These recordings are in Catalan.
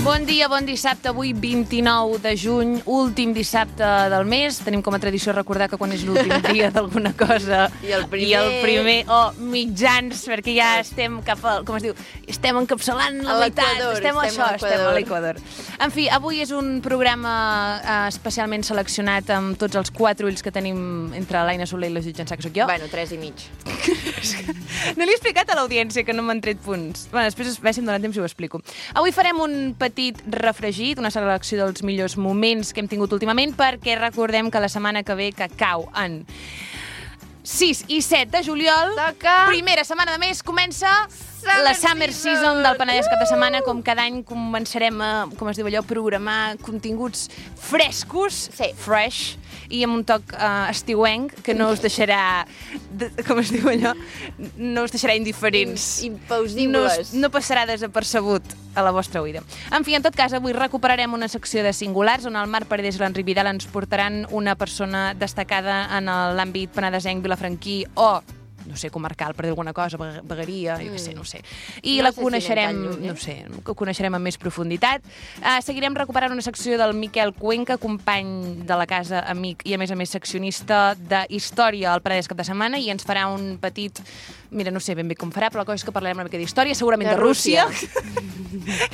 Bon dia, bon dissabte, avui 29 de juny, últim dissabte del mes. Tenim com a tradició recordar que quan és l'últim dia d'alguna cosa I el primer mitjans, perquè ja estem cap al, com es diu, estem encapçalant la meitat, estem a l'Equador. En fi, avui és un programa especialment seleccionat amb tots els 4 ulls que tenim entre l'Aina Soler i la Judit Jansà, que soc jo. Bueno, 3 i mig. No li he explicat a l'audiència que no m'han tret punts. Bueno, després, si em donen temps, ho explico. Avui farem un petit refregit, una selecció dels millors moments que hem tingut últimament, perquè recordem que la setmana que ve, que cau en 6 i 7 de juliol, primera setmana de mes, comença la Summer Season del Penedès cap de setmana. Com cada any començarem a, com es diu allò, programar continguts frescos, fresh, i amb un toc estiuenc que no us deixarà, com es diu allò, no us deixarà indiferents. Impausibles. No passarà desapercebut a la vostra oïda. En fi, en tot cas, avui recuperarem una secció de singulars on el Marc Paredes i l'Enric Vidal ens portaran una persona destacada en l'àmbit penedesenc, vilafranquí o no sé, comarcal, per dir alguna cosa, vegueria, jo què sé, no sé. I la coneixerem, no sé, ho coneixerem amb més profunditat. Seguirem recuperant una secció del Miquel Cuenca, company de la casa, amic i, a més seccionista de història al Penedès cap de setmana, i ens farà un petit... Mira, no sé ben bé com farà, però la cosa és que parlarem una mica d'història, segurament de Rússia.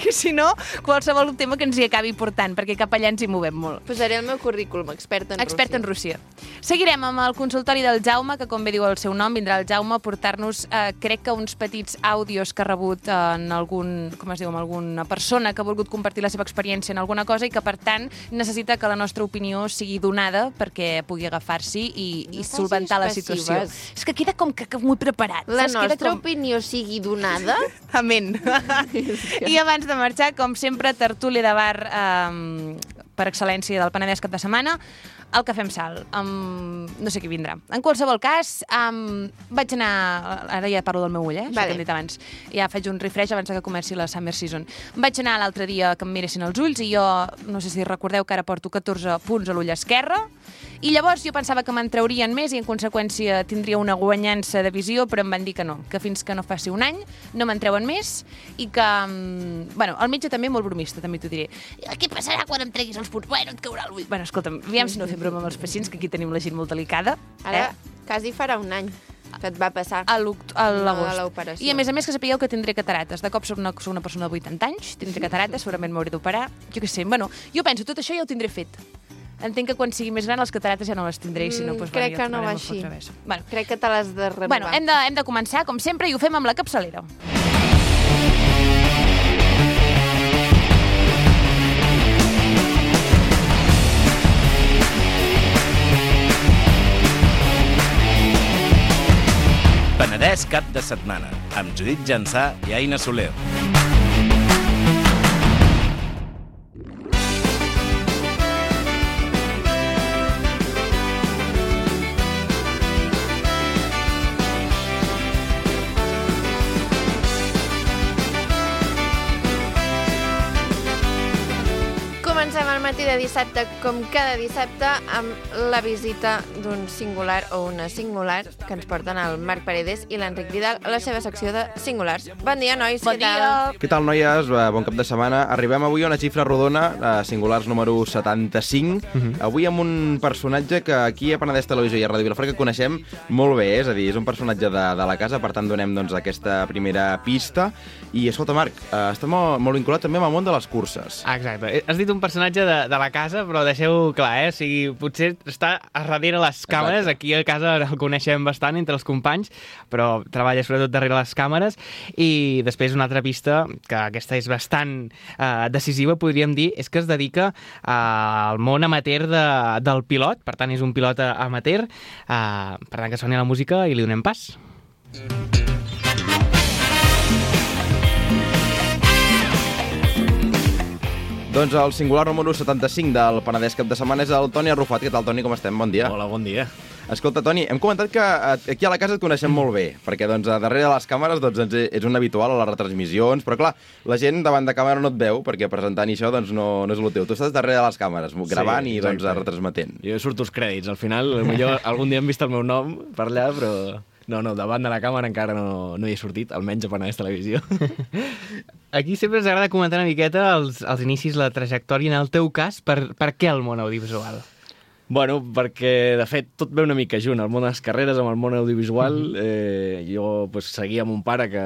Que si no, qualsevol tema que ens hi acabi portant, perquè cap allà ens hi movem molt. Posaré el meu currículum, expert en Rússia. Seguirem amb el consultori del Jaume, que com bé diu el seu nom, vindrà el Jaume a portar-nos, crec que uns petits àudios que ha rebut en algun, com es diu, amb alguna persona que ha volgut compartir la seva experiència en alguna cosa i que, per tant, necessita que la nostra opinió sigui donada perquè pugui agafar-s'hi i solventar la situació. És que queda com que molt preparat. La nostra opinió sigui donada? Amén. I abans de marxar, com sempre, tertúlia de bar per excel·lència del Penedès cap de setmana, el Cafè amb Sal. No sé qui vindrà. En qualsevol cas, vaig anar... Ara ja parlo del meu ull, això que hem dit abans. Ja faig un refresh abans que comenci la Summer Season. Vaig anar l'altre dia que em miressin els ulls i jo, no sé si recordeu que ara porto 14 punts a l'ull esquerre, i llavors jo pensava que me'n traurien més i en conseqüència tindria una guanyança de visió, però em van dir que no, que fins que no faci un any no me'n treuen més i que... Bueno, el metge també molt bromista, també t'ho diré. Què passarà quan em treguis els punts? Bueno, et caurà l'ull. Bueno, escolta'm, aviam si no fem broma amb els pacients, que aquí tenim la gent molt delicada. Ara, quasi farà un any que et va passar a l'agost. L'operació. I a més que sapigueu que tindré catarates. De cop soc una persona de 80 anys, tindré catarates, segurament m'hauré d'operar. Jo què sé, bueno, jo penso, tot això ja ho tindré fet. Entenc que quan sigui més gran les catarates ja no les tindré, i si no, doncs... Crec que no va així. Bueno, crec que te l'has de renovar. Bueno, hem de començar, com sempre, i ho fem amb la capçalera. Penedès cap de setmana, amb Judit Jansà i Aina Soler. Comencem el matí de dissabte, com cada dissabte, amb la visita d'un singular o una singular que ens porten el Marc Paredes i l'Enric Vidal a la seva secció de singulars. Bon dia, nois. Bon dia. Què tal, noies? Bon cap de setmana. Arribem avui a una xifra rodona, singulars número 75. Avui amb un personatge que aquí a Penedès Televisió i a Ràdio Vilafranca coneixem molt bé, és a dir, és un personatge de la casa, per tant donem aquesta primera pista. I escolta, Marc, està molt vinculat també amb el món de les curses. Exacte. Has dit un personatge de la casa, però deixeu clar, o sigui, potser està a darrere les càmeres. Exacte. Aquí a casa el coneixem bastant entre els companys, però treballa sobretot darrere les càmeres. I després una altra pista, que aquesta és bastant decisiva, podríem dir, és que es dedica al món amateur del pilot, per tant és un pilot amateur, per tant que soni la música i li donem pas. Doncs el singular número 75 del Penedès cap de setmana és el Toni Arrufat. Què tal, Toni? Com estem? Bon dia. Hola, bon dia. Escolta, Toni, hem comentat que aquí a la casa et coneixem molt bé, perquè darrere de les càmeres ets un habitual a les retransmissions, però clar, la gent davant de càmera no et veu, perquè presentant això no és el teu. Tu estàs darrere de les càmeres, gravant i retransmetent. Jo surto els crèdits, al final, potser algun dia hem vist el meu nom per allà, però... No, davant de la càmera encara no hi he sortit, almenys a Penedès Televisió. Aquí sempre ens agrada comentar una miqueta els inicis, la trajectòria. En el teu cas, per què el món audiovisual? Bueno, perquè, de fet, tot ve una mica junt, el món de les carreres amb el món audiovisual. Jo seguia mon pare que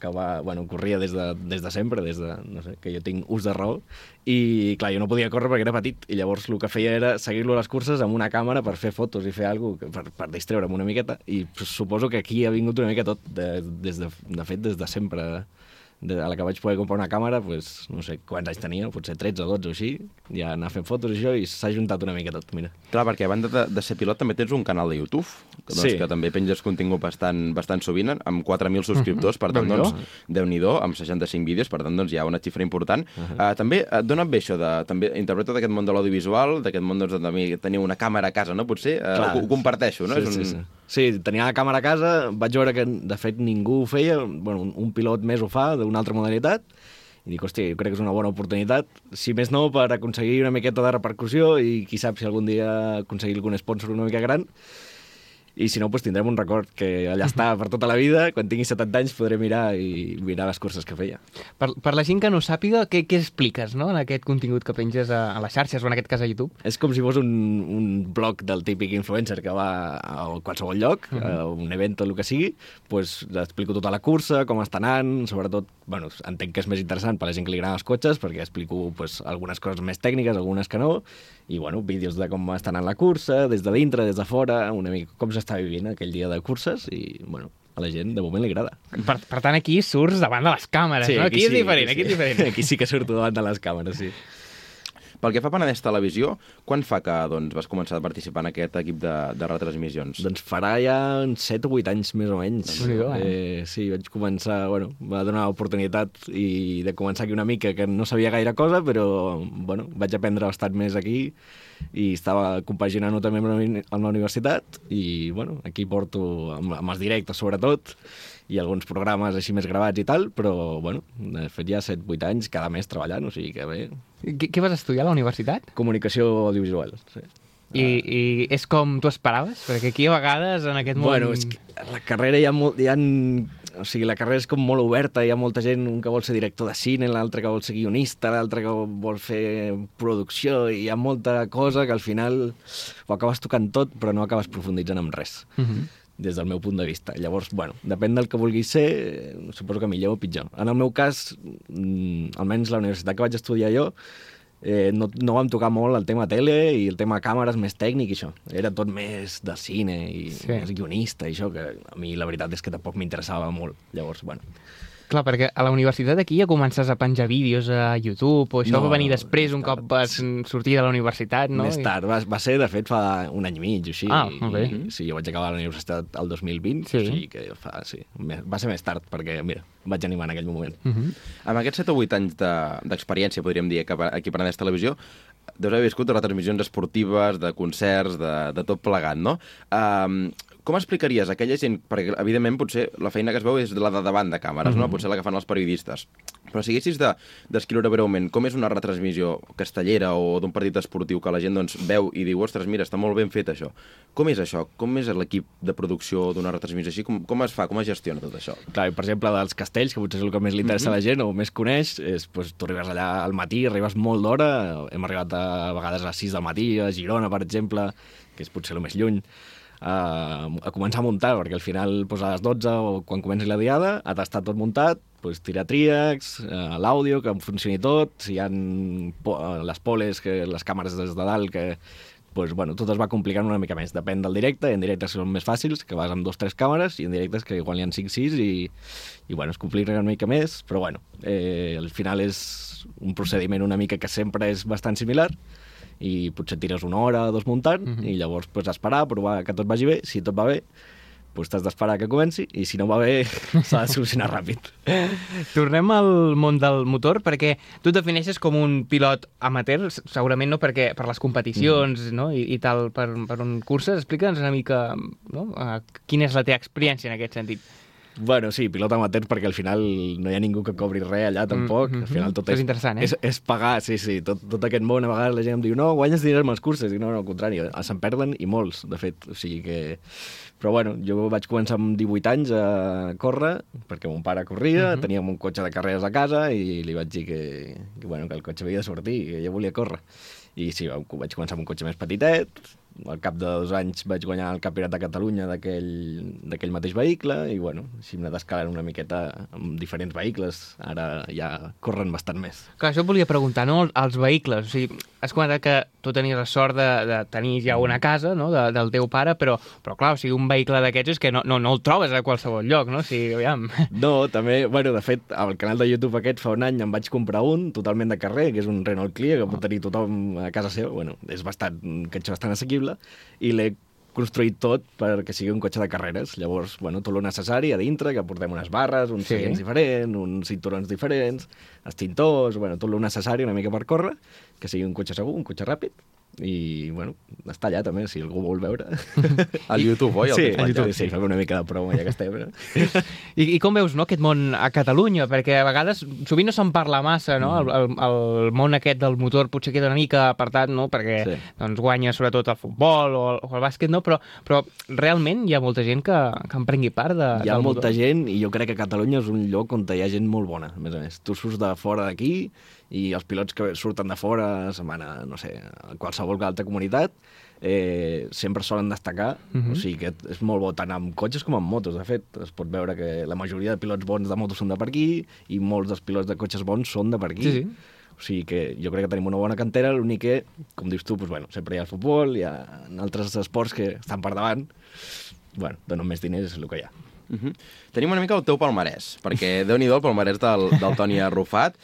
corria des de sempre, no sé, que jo tinc ús de raó, i clar, jo no podia córrer perquè era petit, i llavors el que feia era seguir-lo a les curses amb una càmera per fer fotos i fer alguna cosa, per distreure'm una miqueta, i suposo que aquí ha vingut una mica tot, de fet, des de sempre. A la que vaig poder comprar una càmera, no sé quants anys tenia, potser 13 o 12 o així, ja anar fent fotos i això, i s'ha juntat una mica tot, mira. Clar, perquè a banda de ser pilot també tens un canal de YouTube, que també penges contingut bastant sovint, amb 4.000 subscriptors, per tant, Déu-n'hi-do, amb 65 vídeos, per tant, hi ha una xifra important. També et dona bé això, també interpreto d'aquest món de l'audiovisual, d'aquest món de tenir una càmera a casa, no? Potser ho comparteixo, no? Sí, tenia la càmera a casa, vaig veure que, de fet, ningú ho feia, un pilot més ho fa, d'una altra modalitat, i dic, hòstia, jo crec que és una bona oportunitat, si més no, per aconseguir una miqueta de repercussió i qui sap si algun dia aconseguir algun sponsor una mica gran. I si no, tindrem un record que allà està per tota la vida. Quan tingui 70 anys podré mirar les curses que feia. Per la gent que no sàpiga, què expliques, no?, en aquest contingut que penges a les xarxes, o en aquest cas a YouTube? És com si fos un blog del típic influencer que va a qualsevol lloc, a un event o el que sigui, explico tota la cursa, com està anant, sobretot, entenc que és més interessant per la gent que li agraden els cotxes, perquè explico algunes coses més tècniques, algunes que no, i vídeos de com està anant la cursa, des de dintre, des de fora, una mica com s'està vivint aquell dia de curses, i a la gent de moment li agrada. Per tant, aquí surts davant de les càmeres, sí, no? Aquí és diferent. Aquí sí que surto davant de les càmeres, sí. Pel que fa a Penedès Televisió, quan fa que vas començar a participar en aquest equip de retransmissions? Doncs farà ja 7 o 8 anys, més o menys. Sí, vaig començar, va donar l'oportunitat de començar aquí una mica, que no sabia gaire cosa, però vaig aprendre bastant més aquí, i estava compaginant-ho també amb la universitat, i aquí porto amb els directes, sobretot, i alguns programes així més gravats i tal, però, de fet, ja 7-8 anys cada mes treballant, o sigui que bé. Què vas estudiar a la universitat? Comunicació audiovisual, sí. I és com tu esperaves? Perquè aquí a vegades en aquest món... És que la carrera o sigui, la carrera és com molt oberta, hi ha molta gent, un que vol ser director de cine, l'altre que vol ser guionista, l'altre que vol fer producció, i hi ha molta cosa que al final ho acabes tocant tot, però no acabes profunditzant en res. Des del meu punt de vista. Llavors, depèn del que vulguis ser, suposo que millor o pitjor. En el meu cas, almenys la universitat que vaig estudiar jo, no vam tocar molt el tema tele i el tema càmeres més tècnic i això. Era tot més de cine i més guionista i això, que a mi la veritat és que tampoc m'interessava molt. Llavors, Clar, perquè a la universitat aquí ja comences a penjar vídeos a YouTube, o això va venir després, un cop vas sortir de la universitat, no? Més tard, va ser, de fet, fa un any i mig, o així. Molt bé. Sí, jo vaig acabar la universitat el 2020, o sigui que va ser més tard, perquè, mira, vaig animar en aquell moment. Amb aquests 7 o 8 anys d'experiència, podríem dir, aquí a Penedès Televisió, deus haver viscut retransmissions esportives, de concerts, de tot plegat, no? Com explicaries a aquella gent, perquè evidentment potser la feina que es veu és la de davant de càmeres, no? Potser la que fan els periodistes, però si haguessis descriure breument com és una retransmissió castellera o d'un partit esportiu que la gent veu i diu, ostres, mira, està molt ben fet això. Com és això? Com és l'equip de producció d'una retransmissió així? Com es fa? Com es gestiona tot això? Clar, per exemple, dels castells, que potser és el que més li interessa a la gent o més coneix, és, tu arribes allà al matí, arribes molt d'hora, hem arribat a vegades a les 6 del matí, a Girona, per exemple, que és potser el més lluny, a començar a muntar, perquè al final a les 12 o quan comenci la diada ha d'estar tot muntat, tirar tríacs, l'àudio, que funcioni tot, si hi ha les poles, les càmeres des de dalt, que tot es va complicant una mica més. Depèn del directe, en directes són més fàcils, que vas amb 2 o 3 càmeres, i en directes que igual hi ha 5-6 i es complica una mica més, però al final és un procediment una mica que sempre és bastant similar, i potser tires 1 hora o 2 muntant, i llavors esperar, provar que tot vagi bé. Si tot va bé, t'has d'esperar que comenci, i si no va bé, s'ha de solucionar ràpid. Tornem al món del motor, perquè tu et defineixes com un pilot amateur, segurament no per les competicions i tal, per un curses. Explica'ns una mica quina és la teva experiència en aquest sentit. Bueno, sí, pilot amateur, perquè al final no hi ha ningú que cobri res allà, tampoc. Al final tot és interessant, és pagar, sí. Tot aquest món, a vegades la gent em diu no, guanyes diners amb les curses. I no, al contrari, se'n perden i molts, de fet. O sigui que... Però bueno, jo vaig començar amb 18 anys a córrer, perquè mon pare corria, teníem un cotxe de carreres a casa i li vaig dir que el cotxe havia de sortir, que jo volia córrer. I sí, vaig començar amb un cotxe més petitet. Al cap de 2 anys vaig guanyar el Campionat de Catalunya d'aquell mateix vehicle i, bueno, així m'he d'escalar una miqueta amb diferents vehicles. Ara ja corren bastant més. Clar, això et volia preguntar, no? Els vehicles. O sigui, has comentat que tu tenies la sort de tenir ja una casa, no?, del teu pare, però clar, o sigui, un vehicle d'aquests és que no el trobes a qualsevol lloc, no? O sigui, aviam. No, també, bueno, de fet, al canal de YouTube aquest fa un any em vaig comprar un totalment de carrer, que és un Renault Clio, que pot tenir tothom a casa seva. Bueno, és un cotxe bastant assequible, i l'he construït tot perquè sigui un cotxe de carreres. Llavors, bueno, tot el necessari a dintre, que portem unes barres, uns seients diferents, uns cinturons diferents, extintors, bueno, tot el necessari una mica per córrer, que sigui un cotxe segur, un cotxe ràpid, i, bueno, està allà també, si algú vol veure. Al YouTube, oi? Sí, al YouTube, sí, fem una mica de promo ja que estem. I com veus, no, aquest món a Catalunya? Perquè a vegades sovint no se'n parla massa, no? El món aquest del motor potser queda una mica apartat, no? Perquè doncs, guanya sobretot el futbol o el bàsquet, no? Però realment hi ha molta gent que en prengui part del motor. Hi ha molta gent i jo crec que Catalunya és un lloc on hi ha gent molt bona, a més a més. Tu surts de fora d'aquí i els pilots que surten de fora se'n van a, no sé, a qualsevol altra comunitat, sempre solen destacar, o sigui que és molt bo tant amb cotxes com amb motos. De fet, es pot veure que la majoria de pilots bons de motos són de per aquí i molts dels pilots de cotxes bons són de per aquí. Sí. O sigui que jo crec que tenim una bona cantera, l'únic que, com dius tu, doncs, bueno, sempre hi ha el futbol, hi ha altres esports que estan per davant. Bueno, donen més diners, és el que hi ha. Tenim una mica el teu palmarès, perquè déu-n'hi-do el palmarès del Toni Arrufat.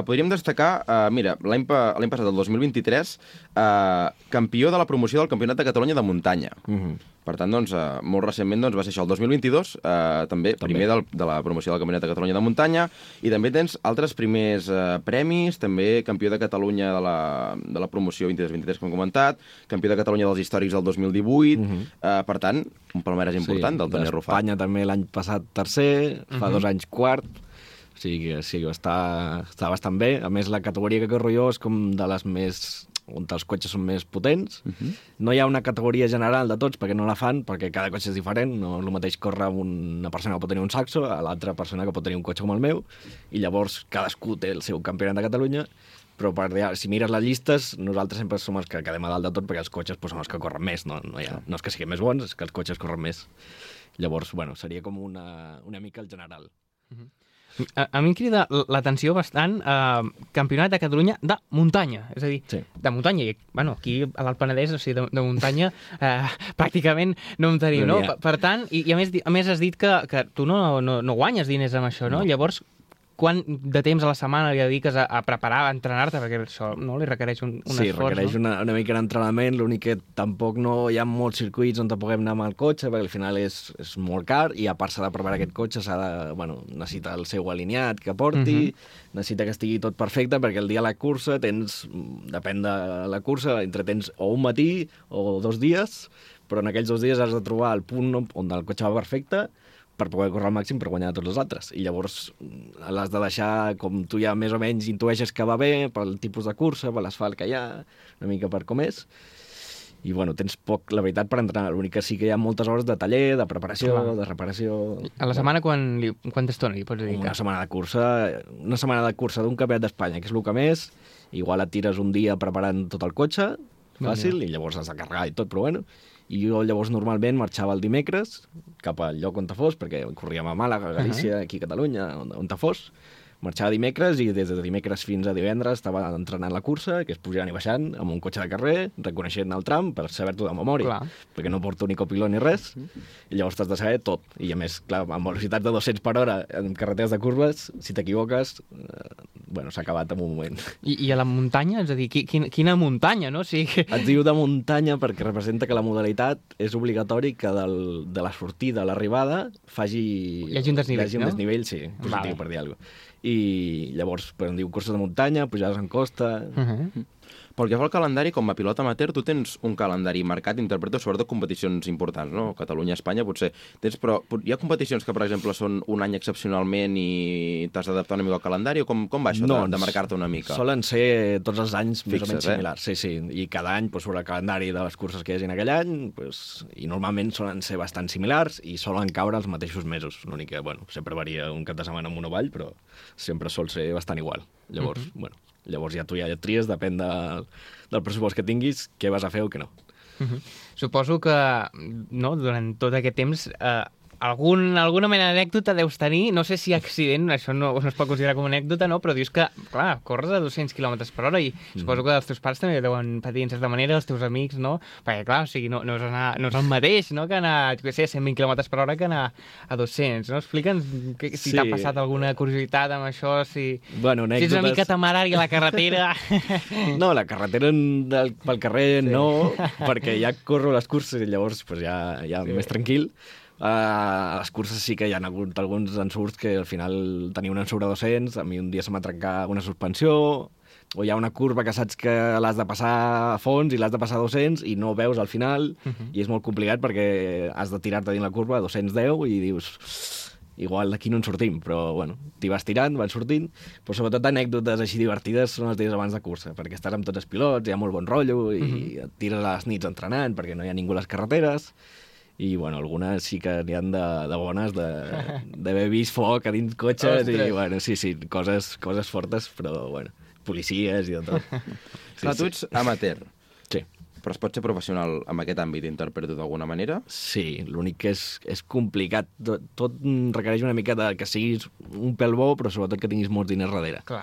Podríem destacar, mira, l'any passat, el 2023, campió de la promoció del Campionat de Catalunya de muntanya. Per tant, doncs, molt recentment doncs, va ser això, el 2022, també primer de la promoció del Campionat de Catalunya de muntanya, i també tens altres primers premis, també campió de Catalunya de la promoció 23-23, com hem comentat, campió de Catalunya dels històrics del 2018, per tant, un palmarès important del Toni Arrufat. Espanya també l'any passat tercer, fa 2 anys quart, o sigui que sí, està bastant bé. A més, la categoria que corro jo és com de les més on els cotxes són més potents. No hi ha una categoria general de tots, perquè no la fan, perquè cada cotxe és diferent. No és el mateix córrer amb una persona que pot tenir un Saxo a l'altra persona que pot tenir un cotxe com el meu, i llavors cadascú té el seu campionat de Catalunya, però si mires les llistes, nosaltres sempre som els que quedem a dalt de tot, perquè els cotxes són els que corren més, no és que siguin més bons, és que els cotxes corren més. Llavors, bueno, seria com una mica el general. A mi em crida l'atenció bastant Campionat de Catalunya de muntanya, és a dir, de muntanya, i bueno, aquí a l'Alt Penedès, o sigui, de muntanya pràcticament no en tenim, no? Per tant, i a més has dit que tu no guanyes diners amb això, no? Llavors, quant de temps a la setmana li dediques a preparar, a entrenar-te? Perquè això no li requereix un esforç, no? Sí, requereix una mica d'entrenament, l'únic que tampoc no hi ha molts circuits on te puguem anar amb el cotxe, perquè al final és molt car, i a part s'ha de preparar aquest cotxe, necessita el seu alineat que porti, necessita que estigui tot perfecte, perquè el dia de la cursa depèn de la cursa, tens o un matí o 2 dies, però en aquells 2 dies has de trobar el punt on el cotxe va perfecte, per poder córrer al màxim per guanyar tots els altres. I llavors l'has de deixar, com tu ja més o menys intueixes que va bé, pel tipus de cursa, per l'asfalt que hi ha, una mica per com és. I, bueno, tens poc, la veritat, per entrenar. L'únic que sí que hi ha moltes hores de taller, de preparació, de reparació... A la setmana quanta estona li pots dedicar? Una setmana de cursa d'un campionat d'Espanya, que és el que més. Igual et tires un dia preparant tot el cotxe, fàcil, i llavors has de carregar i tot, però bueno... I jo llavors normalment marxava el dimecres cap al lloc on te fos, perquè corríem a Màlaga, a Galícia, aquí a Catalunya, on te fos. Marxava dimecres i des de dimecres fins a divendres estava entrenant la cursa, que és pujant i baixant, amb un cotxe de carrer, reconeixent el tram per saber-t'ho de memòria, perquè no porto ni copilot ni res, i llavors t'has de saber tot. I a més, clar, amb velocitats de 200 per hora en carreteres de curves, si t'equivoques, s'ha acabat en un moment. I a la muntanya? És a dir, quina muntanya, no? O sigui... Et diu de muntanya perquè representa que la modalitat és obligatori que de la sortida a l'arribada hi hagi un desnivell, sí, positiu, per dir alguna cosa. I llavors, em diu curses de muntanya, pujades en costa... Pel que fa al calendari, com a pilot amateur, tu tens un calendari marcat, interpreto sobretot competicions importants, no? Catalunya, Espanya, potser tens, però hi ha competicions que, per exemple, són un any excepcionalment i t'has d'adaptar una mica al calendari, o com va això de marcar-te una mica? Solen ser tots els anys més o menys similars, sí. I cada any, sobre el calendari de les curses que hi hagi en aquell any, i normalment solen ser bastant similars i solen caure els mateixos mesos. L'únic que, sempre varia un cap de setmana amunt o avall, però sempre sol ser bastant igual. Llavors, llavors ja tu ja tries, depèn del pressupost que tinguis, què vas a fer o què no. Suposo que durant tot aquest temps alguna mena d'anècdota deus tenir, no sé si accident, això no es pot considerar com una anècdota, no? Però dius que, clar, corres a 200 km per hora i suposo que els teus pares també deuen patir en certa manera, els teus amics, no? Perquè, clar, no és el mateix, no?, que anar, a 120 km per hora que anar a 200, no? Explica'ns si t'ha passat alguna curiositat amb això, si ets una mica temerari a la carretera. No, la carretera pel carrer no, perquè ja corro les curses i llavors ja més tranquil. A les curses sí que hi ha hagut alguns ensurts que al final tenia un ensurt a 200, a mi un dia se m'ha trencat una suspensió, o hi ha una curva que saps que l'has de passar a fons i l'has de passar a 200 i no veus al final, i és molt complicat perquè has de tirar-te dins la curva a 210 i dius, igual d'aquí no en sortim, però t'hi vas tirant, van sortint, però sobretot anècdotes així divertides són els dies abans de cursa, perquè estàs amb tots els pilots, hi ha molt bon rotllo i et tires a les nits entrenant perquè no hi ha ningú a les carreteres. I, algunes sí que n'hi ha de bones, d'haver vist foc a dins cotxes. Ostres. I, sí, coses fortes, però, policies i de tot. Clar, tu ets amateur. Sí. Però es pot ser professional en aquest àmbit, interpreto d'alguna manera? Sí, l'únic que és complicat. Tot requereix una mica que siguis un pèl bo, però sobretot que tinguis molts diners darrere. Clar.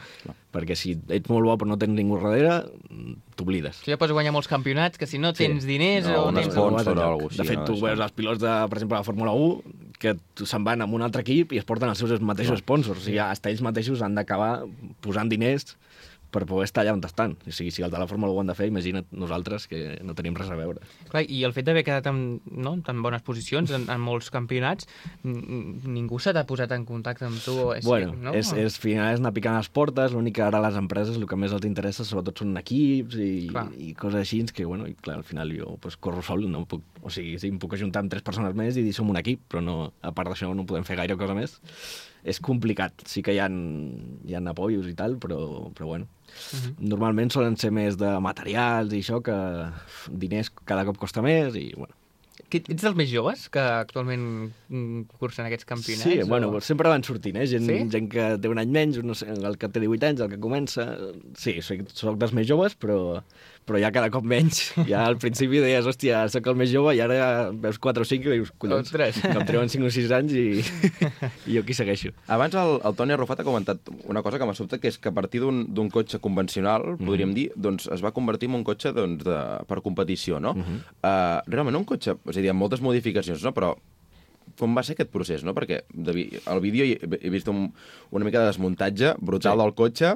Perquè si ets molt bo però no tens ningú darrere, t'oblides. Tu ja pots guanyar molts campionats, que si no tens diners... No, un sponsor o alguna cosa. De fet, tu veus els pilots, per exemple, de la Fórmula 1, que se'n van amb un altre equip i es porten els seus mateixos sponsors. O sigui, hasta ells mateixos han d'acabar posant diners per poder estar allà on estan. O sigui, si el de la Fórmula 1 ho han de fer, imagina't nosaltres, que no tenim res a veure. Clar, i el fet d'haver quedat en tan bones posicions en molts campionats, ningú s'ha posat en contacte amb tu? És final és anar picant les portes, l'únic que ara les empreses el que més els interessa sobretot són equips i coses així, que, al final jo corro sol, no puc, o sigui, em puc ajuntar amb 3 persones més i dir som un equip, però no, a part d'això no podem fer gaire cosa més. És complicat, sí que hi ha apoyos i tal, però normalment solen ser més de materials i això, que diners cada cop costa més i Ets dels més joves que actualment cursen aquests campionats? Sí, sempre van sortint, gent que té un any menys, no sé, el que té 18 anys, el que comença... Sí, soc dels més joves, però ja cada cop menys. Ja al principi deies, hòstia, soc el més jove, i ara ja veus 4 o 5 i dius, collons, que em treuen 5 o 6 anys i jo aquí segueixo. Abans el Toni Arrufat ha comentat una cosa que m'ha sobtat, que és que a partir d'un cotxe convencional, podríem dir, doncs es va convertir en un cotxe per competició, no? Realment un cotxe, és a dir, amb moltes modificacions, no? Però com va ser aquest procés, no? Perquè al vídeo he vist una mica de desmuntatge brutal del cotxe,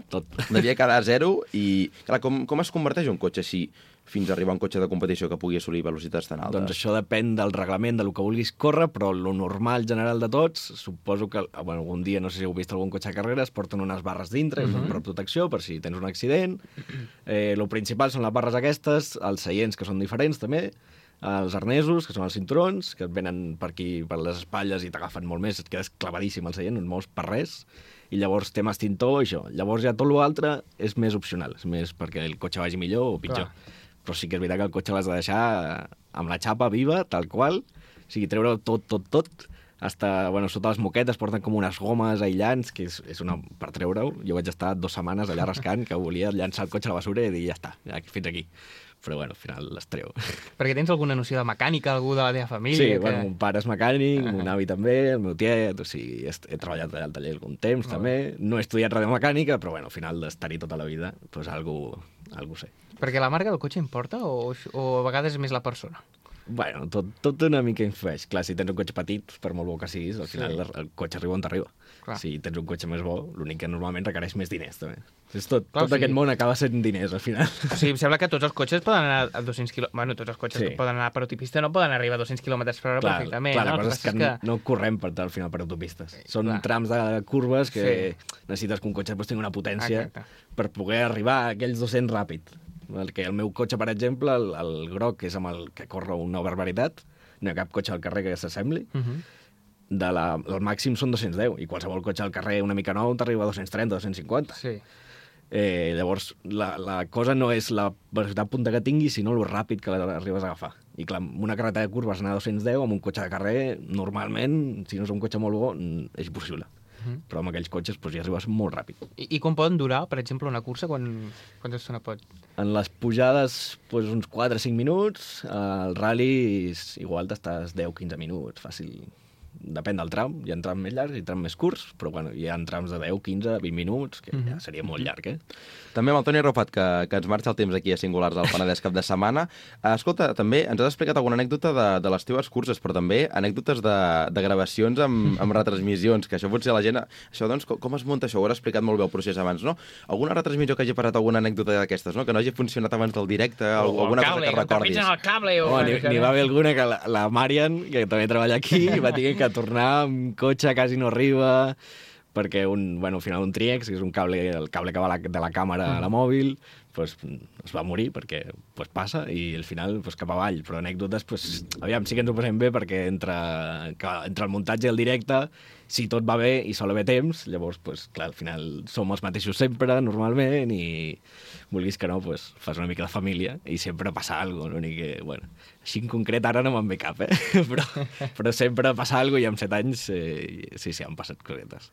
devia quedar a zero, i clar, com es converteix un cotxe així fins a arribar a un cotxe de competició que pugui assolir velocitats tan altes? Doncs això depèn del reglament, del que vulguis córrer, però lo normal general de tots, suposo que algun dia, no sé si heu vist algun cotxe de carreres, porten unes barres dintre, per protecció, per si tens un accident. Lo principal són les barres aquestes, els seients, que són diferents també, els arnesos, que són els cinturons, que et venen per aquí, per les espatlles, i t'agafen molt més, et quedes clavadíssim al seient, no et mous per res, i llavors tema extintor, això. Llavors ja tot l'altre és més opcional, és més perquè el cotxe vagi millor o pitjor. Clar. Però sí que és veritat que el cotxe l'has de deixar amb la xapa viva, tal qual, o sigui, treure tot, hasta, sota les moquetes porten com unes gomes aïllants, que és una per treure-ho. Jo vaig estar 2 setmanes allà rascant, que volia llançar el cotxe a la bessura i dir, ja està, fins aquí. Però, al final les treu. Perquè tens alguna noció de mecànica, algú de la teva família? Sí, mon pare és mecànic, mon avi també, el meu tiet, o sigui, he treballat al taller algun temps, també. No he estudiat radiomecànica, però, al final d'estar-hi tota la vida, doncs algú sé. Perquè la marca del cotxe importa o a vegades és més la persona? Tot una mica influeix. Clar, si tens un cotxe petit, per molt bo que siguis, al final el cotxe arriba on t'arriba. Si tens un cotxe més bo, l'únic que normalment requereix més diners, també. Tot aquest món acaba sent diners, al final. O sigui, em sembla que tots els cotxes poden anar a 200 km. Tots els cotxes que poden anar per autopista no poden arribar a 200 km per hora perfectament. Clar, la cosa és que no correm al final per autopistes. Són trams de curves que necessites que un cotxe tingui una potència per poder arribar a aquells 200 ràpid. El meu cotxe, per exemple, el groc és amb el que corre una barbaritat, no hi ha cap cotxe al carrer que s'assembli, el màxim són 210, i qualsevol cotxe al carrer una mica nou t'arriba a 230, 250. Sí. Llavors, la cosa no és la velocitat punta que tinguis, sinó el ràpid que l'arribes a agafar. I clar, amb una carretera de curves anar a 210, amb un cotxe de carrer, normalment, si no és un cotxe molt bo, és impossible. Però amb aquells cotxes ja arribes molt ràpid. I quan poden durar, per exemple, una cursa? Quanta estona pot? En les pujades, uns 4 o 5 minuts. Al rally, igual t'estàs 10-15 minuts, fàcil. Depèn del tram. Hi ha trams més llargs i trams més curts, però hi ha trams de 10, 15, 20 minuts, que ja seria molt llarg, També amb el Toni Arrufat, que ens marxa el temps aquí a Singulars al Penedès cap de setmana. Escolta, també ens has explicat alguna anècdota de les teves curses, però també anècdotes de gravacions amb retransmissions, que això potser la gent... Això, doncs, com es munta això? Ho has explicat molt bé el procés abans, no? Alguna retransmissió que hagi passat alguna anècdota d'aquestes, no? Que no hagi funcionat abans del directe, alguna cosa que recordis. El cable, N'hi va haver alguna que la Marian, que també treballa aquí, va tenir que tornar amb cotxe, quasi no arriba, perquè al final un Triex, que és el cable que va de la càmera a la mòbil, es va morir perquè passa, i al final cap avall. Però anècdotes, aviam, sí que ens ho passem bé, perquè entre el muntatge i el directe, si tot va bé i sol haver temps, llavors, clar, al final som els mateixos sempre, normalment, i vulguis que no, fas una mica de família, i sempre passa alguna cosa. Que, així en concret ara no me'n ve cap, però sempre passa alguna cosa, i amb 7 anys sí, han passat cosetes.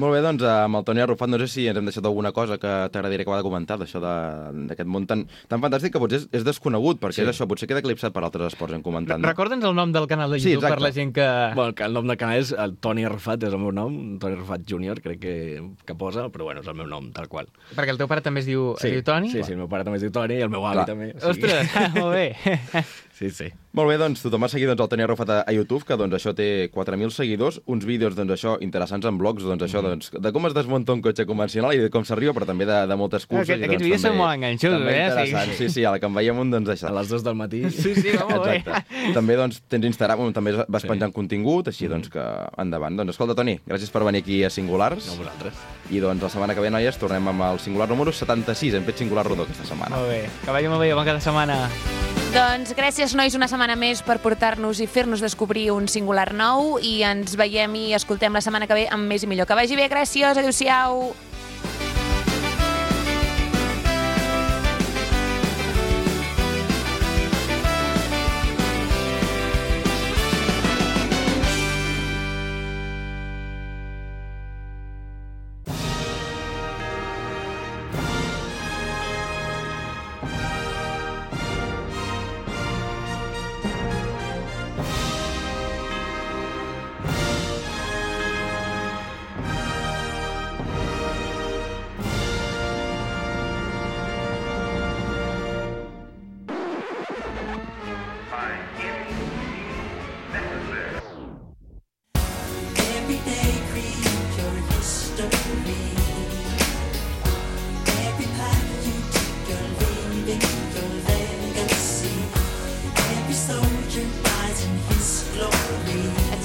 Molt bé, doncs, amb el Toni Arrufat, no sé si ens hem deixat alguna cosa que t'agradaria acabar de comentar, d'això d'aquest món tan fantàstic, que potser és desconegut, perquè és això, potser queda eclipsat per altres esports en comentant. Recorda'ns el nom del canal de YouTube per la gent que... El nom del canal és el Toni Arrufat, és el meu nom, Toni Arrufat Júnior, crec que posa, però és el meu nom, tal qual. Perquè el teu pare també es diu Toni? Sí, el meu pare també es diu Toni, i el meu avi també. Ostres, molt bé. Sí. Molt bé, doncs tothom ha seguit el Toni Arrufat a YouTube, que això té 4.000 seguidors, uns vídeos interessants en blogs, de com es desmunta un cotxe convencional i de com s'arriba, però també de moltes curses. Aquests vídeos són molt enganxosos, Sí, ara que en veiem un, això. A les 2 del matí. Sí, molt bé. També tens Instagram, on també vas penjant contingut, així que endavant. Escolta, Toni, gràcies per venir aquí a Singulars. No, vosaltres. I la setmana que ve, noies, tornem amb el Singular número 76. Hem fet Singular rodó aquesta setmana. Molt bé, que vagi molt bé, bon cap de setmana. Doncs gràcies, nois, una setmana més per portar-nos i fer-nos descobrir un singular nou, i ens veiem i escoltem la setmana que ve amb més i millor. Que vagi bé, gràcies, adéu-siau!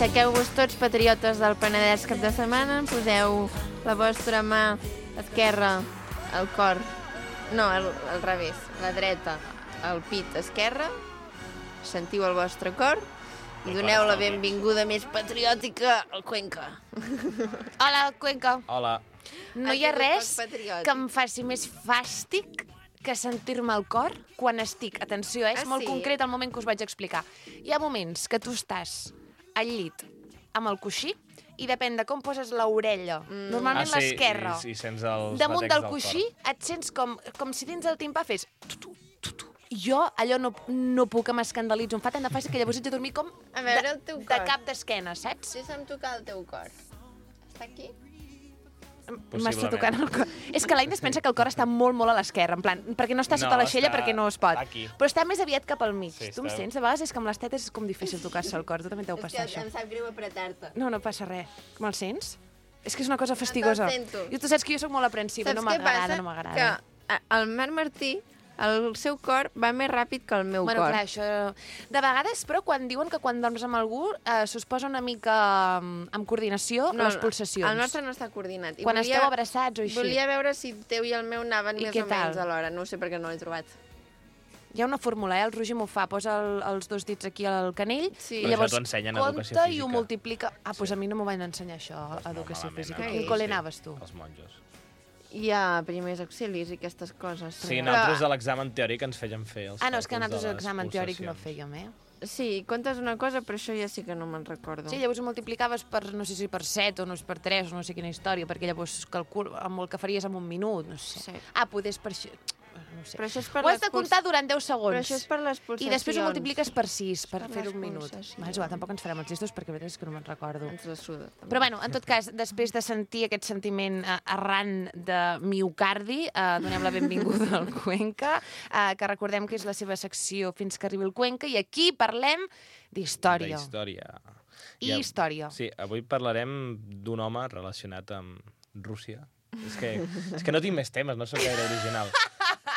Aixequeu-vos tots, patriotes del Penedès cap de setmana, poseu la vostra mà esquerra al cor, no, al revés, la dreta al pit esquerre, sentiu el vostre cor i doneu la benvinguda més patriòtica al Cuenca. Hola, Cuenca. Hola. No hi ha res que em faci més fàstic que sentir-me al cor quan estic, atenció, és molt concret el moment que us vaig explicar. Hi ha moments que tu estàs al llit amb el coixí i depèn de com poses l'orella, normalment l'esquerra, damunt del coixí et sents com si dins el timpà fes tu. Jo allò no puc, m'escandalitzo, em fa tant de fàcil que llavors haig de dormir com de cap d'esquena, saps? Sí, se'm toca el teu cor. Està aquí? M'està tocant el cor. És que l'Aina es pensa que el cor està molt, molt a l'esquerra, en plan, perquè no està sota l'aixella, perquè no es pot. Aquí. Però està més aviat cap al mig. Tu em sents? A vegades és que amb les tetes és com difícil tocar-se el cor. Tu també t'heu passat això. És que em sap greu apretar-te. No passa res. Me'l sents? És que és una cosa fastigosa. Te'l sento. I tu saps que jo sóc molt aprensiva, no m'agrada. Que el Marc Martí El seu cor va més ràpid que el meu Bueno, cor. clar, això... De vegades, però, quan diuen que quan dorms amb algú s'us posa una mica amb coordinació les pulsacions. El nostre no està coordinat. Quan esteu abraçats o així. Volia veure si el teu i el meu anaven I més què o menys tal? alhora. No ho sé perquè no l'he trobat. Hi ha una fórmula, el Roger m'ho fa, posa els dos dits aquí al canell Sí. i Però llavors això t'ho ensenyen a educació compta i física. ho multiplica. Doncs a mi no m'ho van ensenyar això, a educació malament, física. no? A quin col·le anaves tu? Els monjos. Hi ha primers auxilis i aquestes coses. Sí, nosaltres a l'examen teòric ens feien fer els Ah, no, és que càlculs nosaltres de a les l'examen teòric no pulsacions. fèiem, Sí, comptes una cosa, però això ja sí que no me'n recordo. Sí, llavors ho multiplicaves per, no sé si per 7 o no sé, per 3 o no sé quina història, perquè llavors amb el que faries en un minut, no sé. Sí. Ah, poder és per això... No sé. Però això és per Ho has les de comptar durant 10 segons. Però això és per les pulsacions. I després ho multipliques per 6, per Per fer les un minut. pulsacions. És igual, tampoc ens farem els gestos perquè la veritat és que no me'n recordo. Ens la suda. també. Però bueno, en tot cas, després de sentir aquest sentiment arran de miocardi, donem la benvinguda al Cuenca, que recordem que és la seva secció Fins que arribi el Cuenca, i aquí parlem d'història. D'història. I història. Sí, avui parlarem d'un home relacionat amb Rússia. És que no tinc més temes, no sóc gaire original.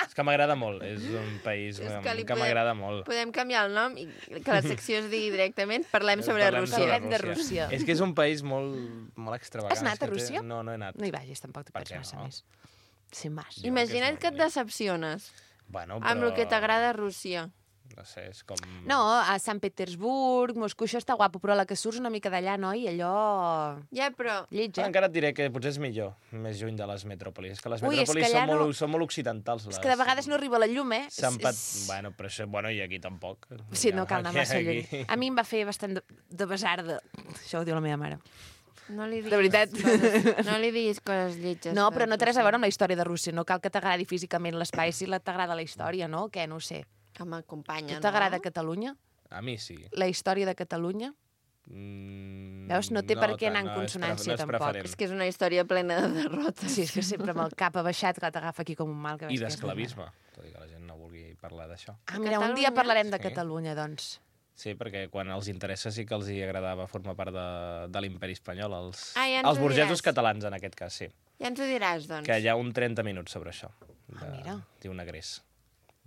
És que m'agrada molt, és un país que m'agrada molt. Podem canviar el nom i que la secció es digui directament Parlem sobre Rússia. Parlem de Rússia. És que és un país molt extravagant. Has anat És que a Rússia? No, no he anat. No hi vagis, tampoc te Per perds què massa no? més. Sin más. Imagina't és que et molt bonic. decepciones Bueno, amb el que t'agrada a Rússia. No sé, és com... No, a Sant Petersburg, Moscou, això està guapo, però a la que surts una mica d'allà, noi, allò... Ja, però... Lleig, Encara et diré que potser és millor, més lluny de les metròpolis. És que les Ui, és metròpolis que allà són molt occidentals. És que de vegades no arriba la llum, Bueno, però això, i aquí tampoc. Sí, no cal anar massa Aquí- lluny. A mi em va fer bastant de besarda. Això ho diu la meva mare. No li diguis De veritat. No li diguis coses lletges. No, però no té res a veure amb la història de Rússia. No cal que t'agradi físicament l'espai, si t'agrada la història, no? Què? No ho sé. Que m'acompanya, Tu t'agrada Catalunya? A mi sí. La història de Catalunya? Veus, no té per què anar en consonància, tampoc. preferent. És que és una història plena de derrotes. Sí, és que sempre amb el cap abaixat que t'agafa aquí com un mal. Que I veus que és d'esclavisme. Tot i que la gent no vulgui parlar d'això. Ah, mira, un dia Catalunya? parlarem de Sí. Catalunya, doncs. Sí, perquè quan els interessa sí que els hi agradava formar part de l'imperi espanyol, els, Ah, ja ens els ho burgesos diràs. catalans, en aquest cas, sí. Ja ens ho diràs, doncs. Que hi ha un 30 minuts sobre això. Mira. Diu Negrés.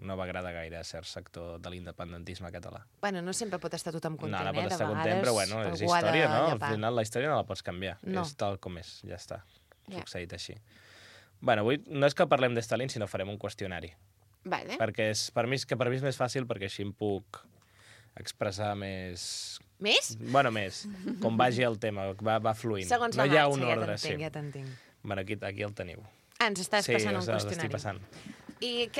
No va agradar gaire a cert sector de l'independentisme català. Bueno, no sempre pot estar tothom content, No pot de estar content, vegades però bueno, és algú ha de història, no? Al llepar. final la història no la pots canviar. No. És tal com és, ja està. Ja. Succeït així. Bueno, avui no és que parlem de Stalin, sinó farem un qüestionari. Vale. Perquè per mi és més fàcil, perquè així em puc expressar més... Més? Bueno, més. Com vagi el tema, va fluint. Segons no la hi ha marxa, un ordre, ja t'entenc, sí. ja t'entenc. Bueno, aquí el teniu. Ah, ens estàs passant un l'estic qüestionari. passant. I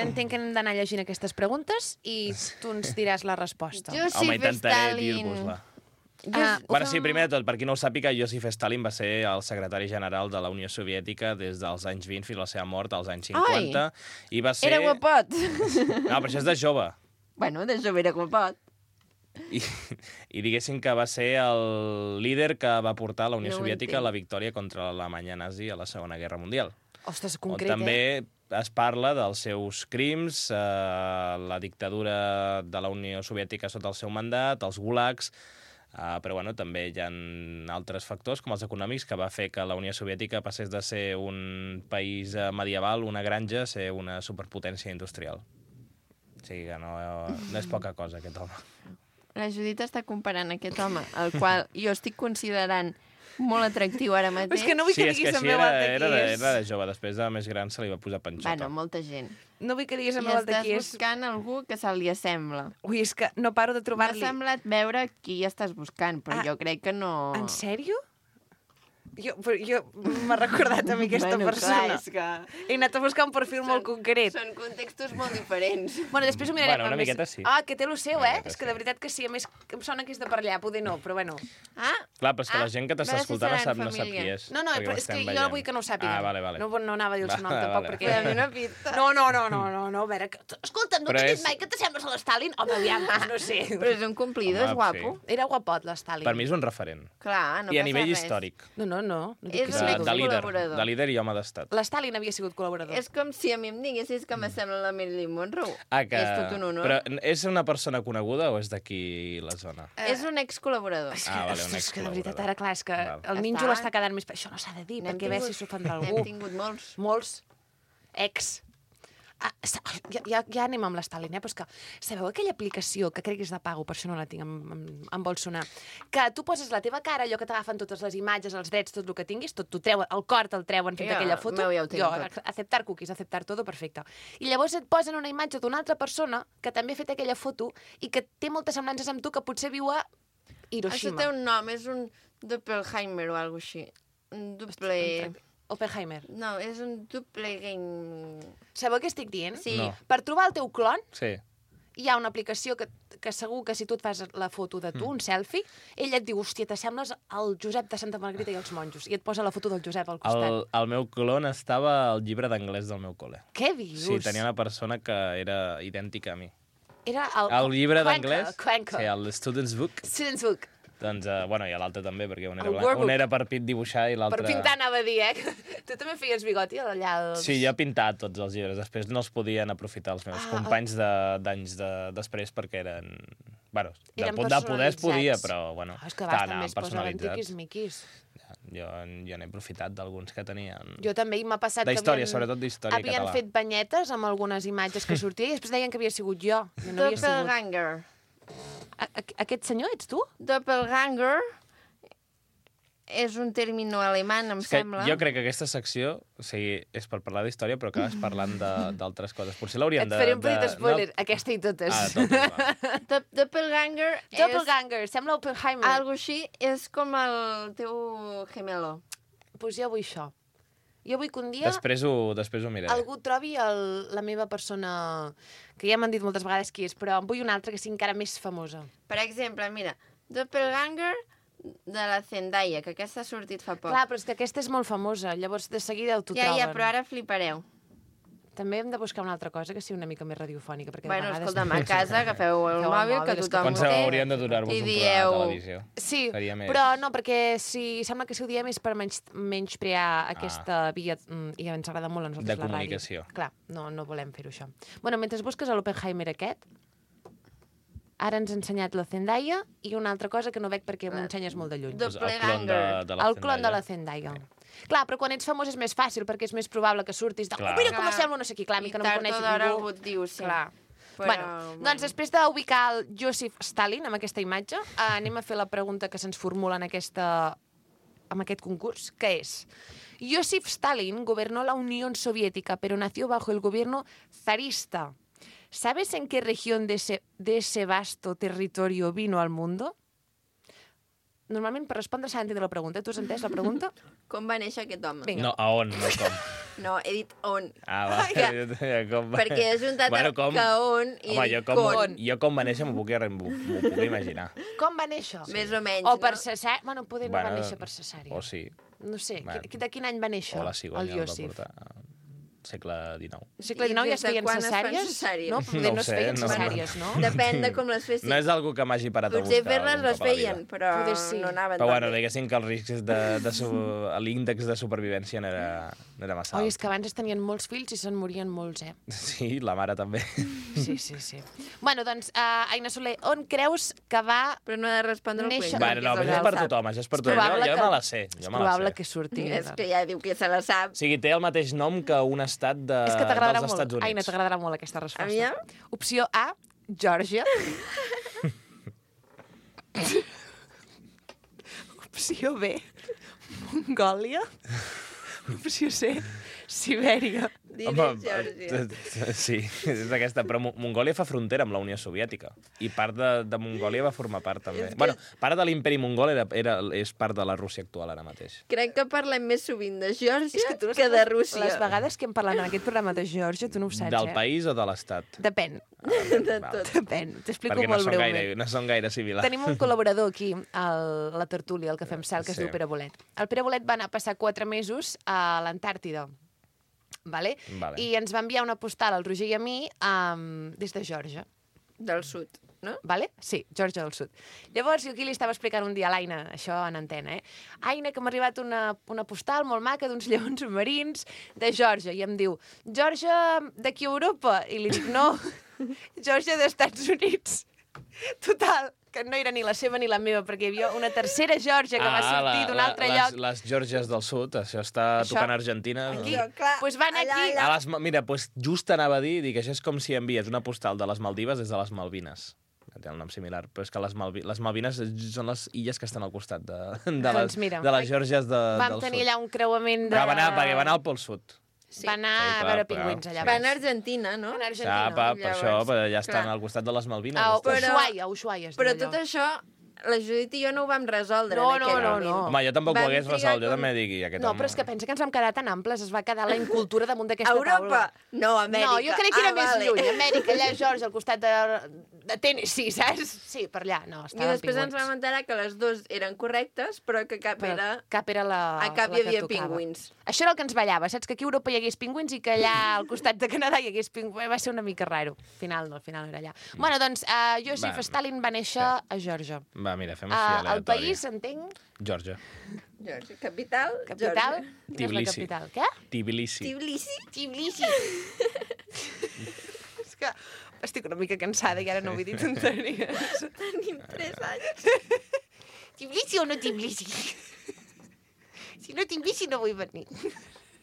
entenc que hem d'anar llegint aquestes preguntes i tu ens diràs la resposta. Joseph Home, intentaré Stalin. dir-vos-la. Ah, Bueno, sí, primer de tot, per qui no ho sàpiga, Joseph Stalin va ser el secretari general de la Unió Soviètica des dels anys 20 fins a la seva mort als anys 50. I va ser... Era guapot. No, però això és de jove. Bueno, de jove era guapot. I diguéssim que va ser el líder que va portar la Unió No ho Soviètica a entenc. la victòria contra l'Alemanya nazi a la Segona Guerra Mundial. Ostres, On concret, també es parla dels seus crims, la dictadura de la Unió Soviètica sota el seu mandat, els gulags, però bueno, també hi ha altres factors, com els econòmics, que va fer que la Unió Soviètica passés de ser un país medieval, una granja, a ser una superpotència industrial. O sigui que no és poca cosa, aquest home. La Judit està comparant aquest home, el qual jo estic considerant molt atractiu ara mateix. És que no vull que és diguis que el així meu altre era qui és. de jove, després de més gran se li va posar panxota. Bueno, molta gent. No vull que diguis el I meu altre estàs qui és. buscant algú que se li assembla. Ui, és que no paro de M'ha trobar-li. semblat veure qui estàs buscant, però jo crec que no... En sèrio? Jo m'ha recordat a mi aquesta Bueno, persona. clar, és que- He anat a buscar un perfil molt concret. Són contextos molt diferents. Bueno, després ho mirarem. Bueno, una amb més- miqueta sí. Ah, que té lo seu, Una eh? miqueta És que sí. de veritat que sí. A més, em sona que és de per allà. Poder no, però bueno. Ah, Clar, però és que la gent que t'està veure si escoltant seran no sap família. qui és. No, no, perquè però ho és que estem jo veient. vull que no ho sàpiguen. Ah, vale. No anava a dir el seu nom Vale, tampoc, vale. perquè... Dóna una pista. No, a veure... Escolta, no Però t'he dit és- mai que t'assembles a l'Stalin? Home, aviam, doncs no sé. Però és un complido, és Home, guapo. Era guapot, l'Stalin. Per mi és un referent. Clar, no I a passa nivell res. històric. No dic És que un sí. De líder. col·laborador. De líder i home d'estat. L'Stalin havia sigut col·laborador. És com si a mi em diguessis que m'assembla la Marilyn Monroe. Que... És tot un honor. Però és una persona coneguda o és d'aquí la zona? És un ex-col·laborador. Vale, un Ostres, que de veritat, ex-col·laborador. ara clar, és que Val. el ninjo l'està quedant més... Això no s'ha de dir, N'hem perquè a veure si tingut- s'ofendrà N'hem algú. tingut molts. Molts. Ex. Ja anem amb l'Stalin, però és que sabeu aquella aplicació, que crec que és de pago, per això no la tinc, em vol sonar, que tu poses la teva cara, allò que t'agafen totes les imatges, els drets, tot el que tinguis, tot t'ho treuen, el cor te'l treuen fent aquella foto. Ja ho tinc tot. Acceptar cookies, acceptar todo, perfecte. I llavors et posen una imatge d'una altra persona que també ha fet aquella foto i que té moltes semblances amb tu, que potser viu a Hiroshima. Això té un nom, és un Doppelheimer o alguna cosa així. Un doble... Oppenheimer. No, és un doble game... Sabeu què estic dient? Sí. No. Per trobar el teu clon, Sí. hi ha una aplicació que segur que si tu et fas la foto de tu, un selfie, ell et diu, hòstia, t'assembles al Josep de Santa Margarita i els monjos, i et posa la foto del Josep al costat. El meu clon estava al llibre d'anglès del meu col·le. Què dius? Sí, tenia una persona que era idèntica a mi. Era El llibre Cuenca, d'anglès, Cuenca. sí, el Student's Book, Student's Book. doncs, bueno, i l'altre també, perquè un El era, Workbook. un era per dibuixar i l'altre... Per pintar anava a dir, Tu també feies bigoti allà? Sí, jo he pintat tots els llibres. Després no els podien aprofitar els meus companys d'anys després perquè eren... Bueno, de poder es podia, però, bueno, És que a vegades també es posaven tiquis-miquis. Jo n'he aprofitat d'alguns que tenien... Jo també, i m'ha passat D'història, sobretot d'història català. Havien fet banyetes amb algunes imatges que sortia i després deien que havia sigut jo. No havia sigut. Doppelganger. Aquest senyor ets tu? Doppelganger és un término alemany, em sembla. Jo crec que aquesta secció, o sigui, és per parlar d'història, però acabes parlant d'altres coses. Potser l'hauríem de... Et faré un petit spoiler, aquesta i totes. totes, va. Doppelganger és... Doppelganger, sembla Oppenheimer. Algo així, és com el teu gemelo. Doncs jo vull això. Jo vull que un dia Després ho miraré. algú trobi la meva persona, que ja m'han dit moltes vegades qui és, però en vull una altra que sigui encara més famosa. Per exemple, mira, Doppelganger de la Zendaya, que aquesta ha sortit fa poc. Clar, però és que aquesta és molt famosa, llavors de seguida t'ho troben. Ja, però ara flipareu. També hem de buscar una altra cosa que sigui una mica més radiofònica, perquè Bueno, de vegades... escolta'm, a casa agafeu el mòbil, que tothom Penseu, ho té. hauríem de donar-vos I un dieu... programa de televisió. Sí, Seria més... però no, perquè sembla que si ho diem és per menysprear aquesta via, i ens agrada molt a nosaltres De la ràdio. comunicació. Clar, no volem fer-ho això. Bueno, mentre busques l'Oppenheimer aquest, ara ens ha ensenyat la Zendaya i una altra cosa que no veig perquè m'ho ensenyes molt de lluny. Doncs el clon de la El clon de la Zendaya. Clar, però quan ets famós és més fàcil, perquè és més probable que surtis de... Clar. Oh, mira com sembla no sé qui, clar, a mi que no em coneix I tard o d'hora ningú. algú et diu, sí. Clar. Però, Doncs després d'ubicar el Joseph Stalin amb aquesta imatge, anem a fer la pregunta que se'ns formula en aquest concurs, que és: Joseph Stalin gobernó la Unión Soviética, pero nació bajo el gobierno zarista. ¿Sabes en qué región de ese vasto territorio vino al mundo? Normalment, per respondre, s'ha d'entendre la pregunta. Tu has entès la pregunta? Com va néixer aquest home? Vinga. No, a on, no com. No, he dit on. Ah, va. Ja. Com va. Perquè he juntat com... que on i Home, he dit con. jo com va néixer m'ho puc imaginar. Com va néixer? Més o menys, O per no? cesària. Bueno, poder no va néixer per cesària. O sí. No sé, Bueno. de quin any va néixer O la cigonya el el va Joseph? portar. Segle XIX. Segle I XIX ja des es de feien quan es fan cesàries? cesàries? No, poder no es sé, feien no. cesàries, no? Depèn de com les fessin. No és algo que m'hagi parat a buscar. Potser fer-les algun les cop a la vida. feien, però Poder sí. no anaven Però tan bueno, bé. diguéssim que els riscs l'índex de supervivència no era massa Oi, alt. és que abans es tenien molts fills i se'n morien molts, eh? Sí, la mare també. Sí. Bueno, doncs, Aina Soler, on creus que va... Però no he de respondre el Néixer- quiz. Bueno, no, però això és per tothom, això és per tothom. probable Jo que- me la sé, És jo me la probable sé. que surti. És que ja diu que se la sap. O sigui, té el mateix nom que un estat És que t'agradarà dels molt. Estats Units. Aina, t'agradarà molt aquesta resposta. Aviam. Opció A, Geòrgia. Opció B, Mongòlia. Opció C, Sibèria. Digues, Geòrgia. Sí, és aquesta. Però Mongòlia fa frontera amb la Unió Soviètica. I part de Mongòlia va formar part, també. És que- Bueno, part de l'imperi mongol és part de la Rússia actual ara mateix. Crec que parlem més sovint de Geòrgia És que tu no que saps de Rússia. Les vegades que hem parlat en aquest programa de Geòrgia, tu no ho saps, Del eh? país o de l'estat? Depèn. De tot. Depèn. T'explico Perquè no molt són, breument. no són gaire similars. Tenim un col·laborador aquí, a la tertúlia, al que fem sal, que es Sí. diu Pere Bolet. El Pere Bolet va anar a passar 4 mesos a l'Antàrtida. Vale? Vale. I ens va enviar una postal al Roger i a mi des de Geòrgia. Del sud, no? Vale? Sí, Geòrgia del Sud. Llavors, jo aquí li estava explicant un dia a l'Aina, això en antena, Aina, que m'ha arribat una postal molt maca d'uns lleons marins de Geòrgia. I em diu, Geòrgia d'aquí a Europa? I li dic, no, Geòrgia d'Estats Units. Total, que no era ni la seva ni la meva, perquè hi havia una tercera Georgia que va sortir d'un altre lloc. Les Georgies del Sud, això està tocant a Argentina. Aquí, clar, doncs van aquí... Mira, just anava a dir que això és com si envies una postal de les Maldives des de les Malvines. Té un nom similar, però és que les Malvines són les illes que estan al costat de les Georgies del Sud. Vam tenir allà un creuament de... Perquè va anar al Pol Sud. Va anar a veure pingüins allà. Va anar a Argentina, no? Va anar a Argentina. Per això, ja estan al costat de les Malvines. A Ushuaia. Però tot això, la Judit i jo no ho vam resoldre en aquell moment. Home, jo tampoc ho hagués resolt, jo també dic... No, però és que pensa que ens vam quedar tan amples, es va quedar la incultura damunt d'aquesta taula. Europa? No, Amèrica. No, jo crec que era més lluny. Amèrica, allà, George, al costat de Tennessee, saps? Sí, per allà, no, estaven I després ens vam enterar que les dues eren correctes, però que cap era... Cap era la a cap hi havia pingüins. Això era el que ens ballava, saps? Que aquí a Europa hi hagués pingüins i que allà al costat de Canadà hi hagués pingüins. Va ser una mica raro. Al final no era allà. Bueno, doncs, Joseph Stalin va néixer a Geòrgia. Va, mira, fem així aleatori. El país, entenc? Geòrgia. Capital? Capital? Tbilisi. Què? Tbilisi. Tbilisi. És que estic una mica cansada i ara no vull dir tonteries. Tenim 3 anys. Tbilisi o no Tbilisi? Si no Tbilisi no vull venir.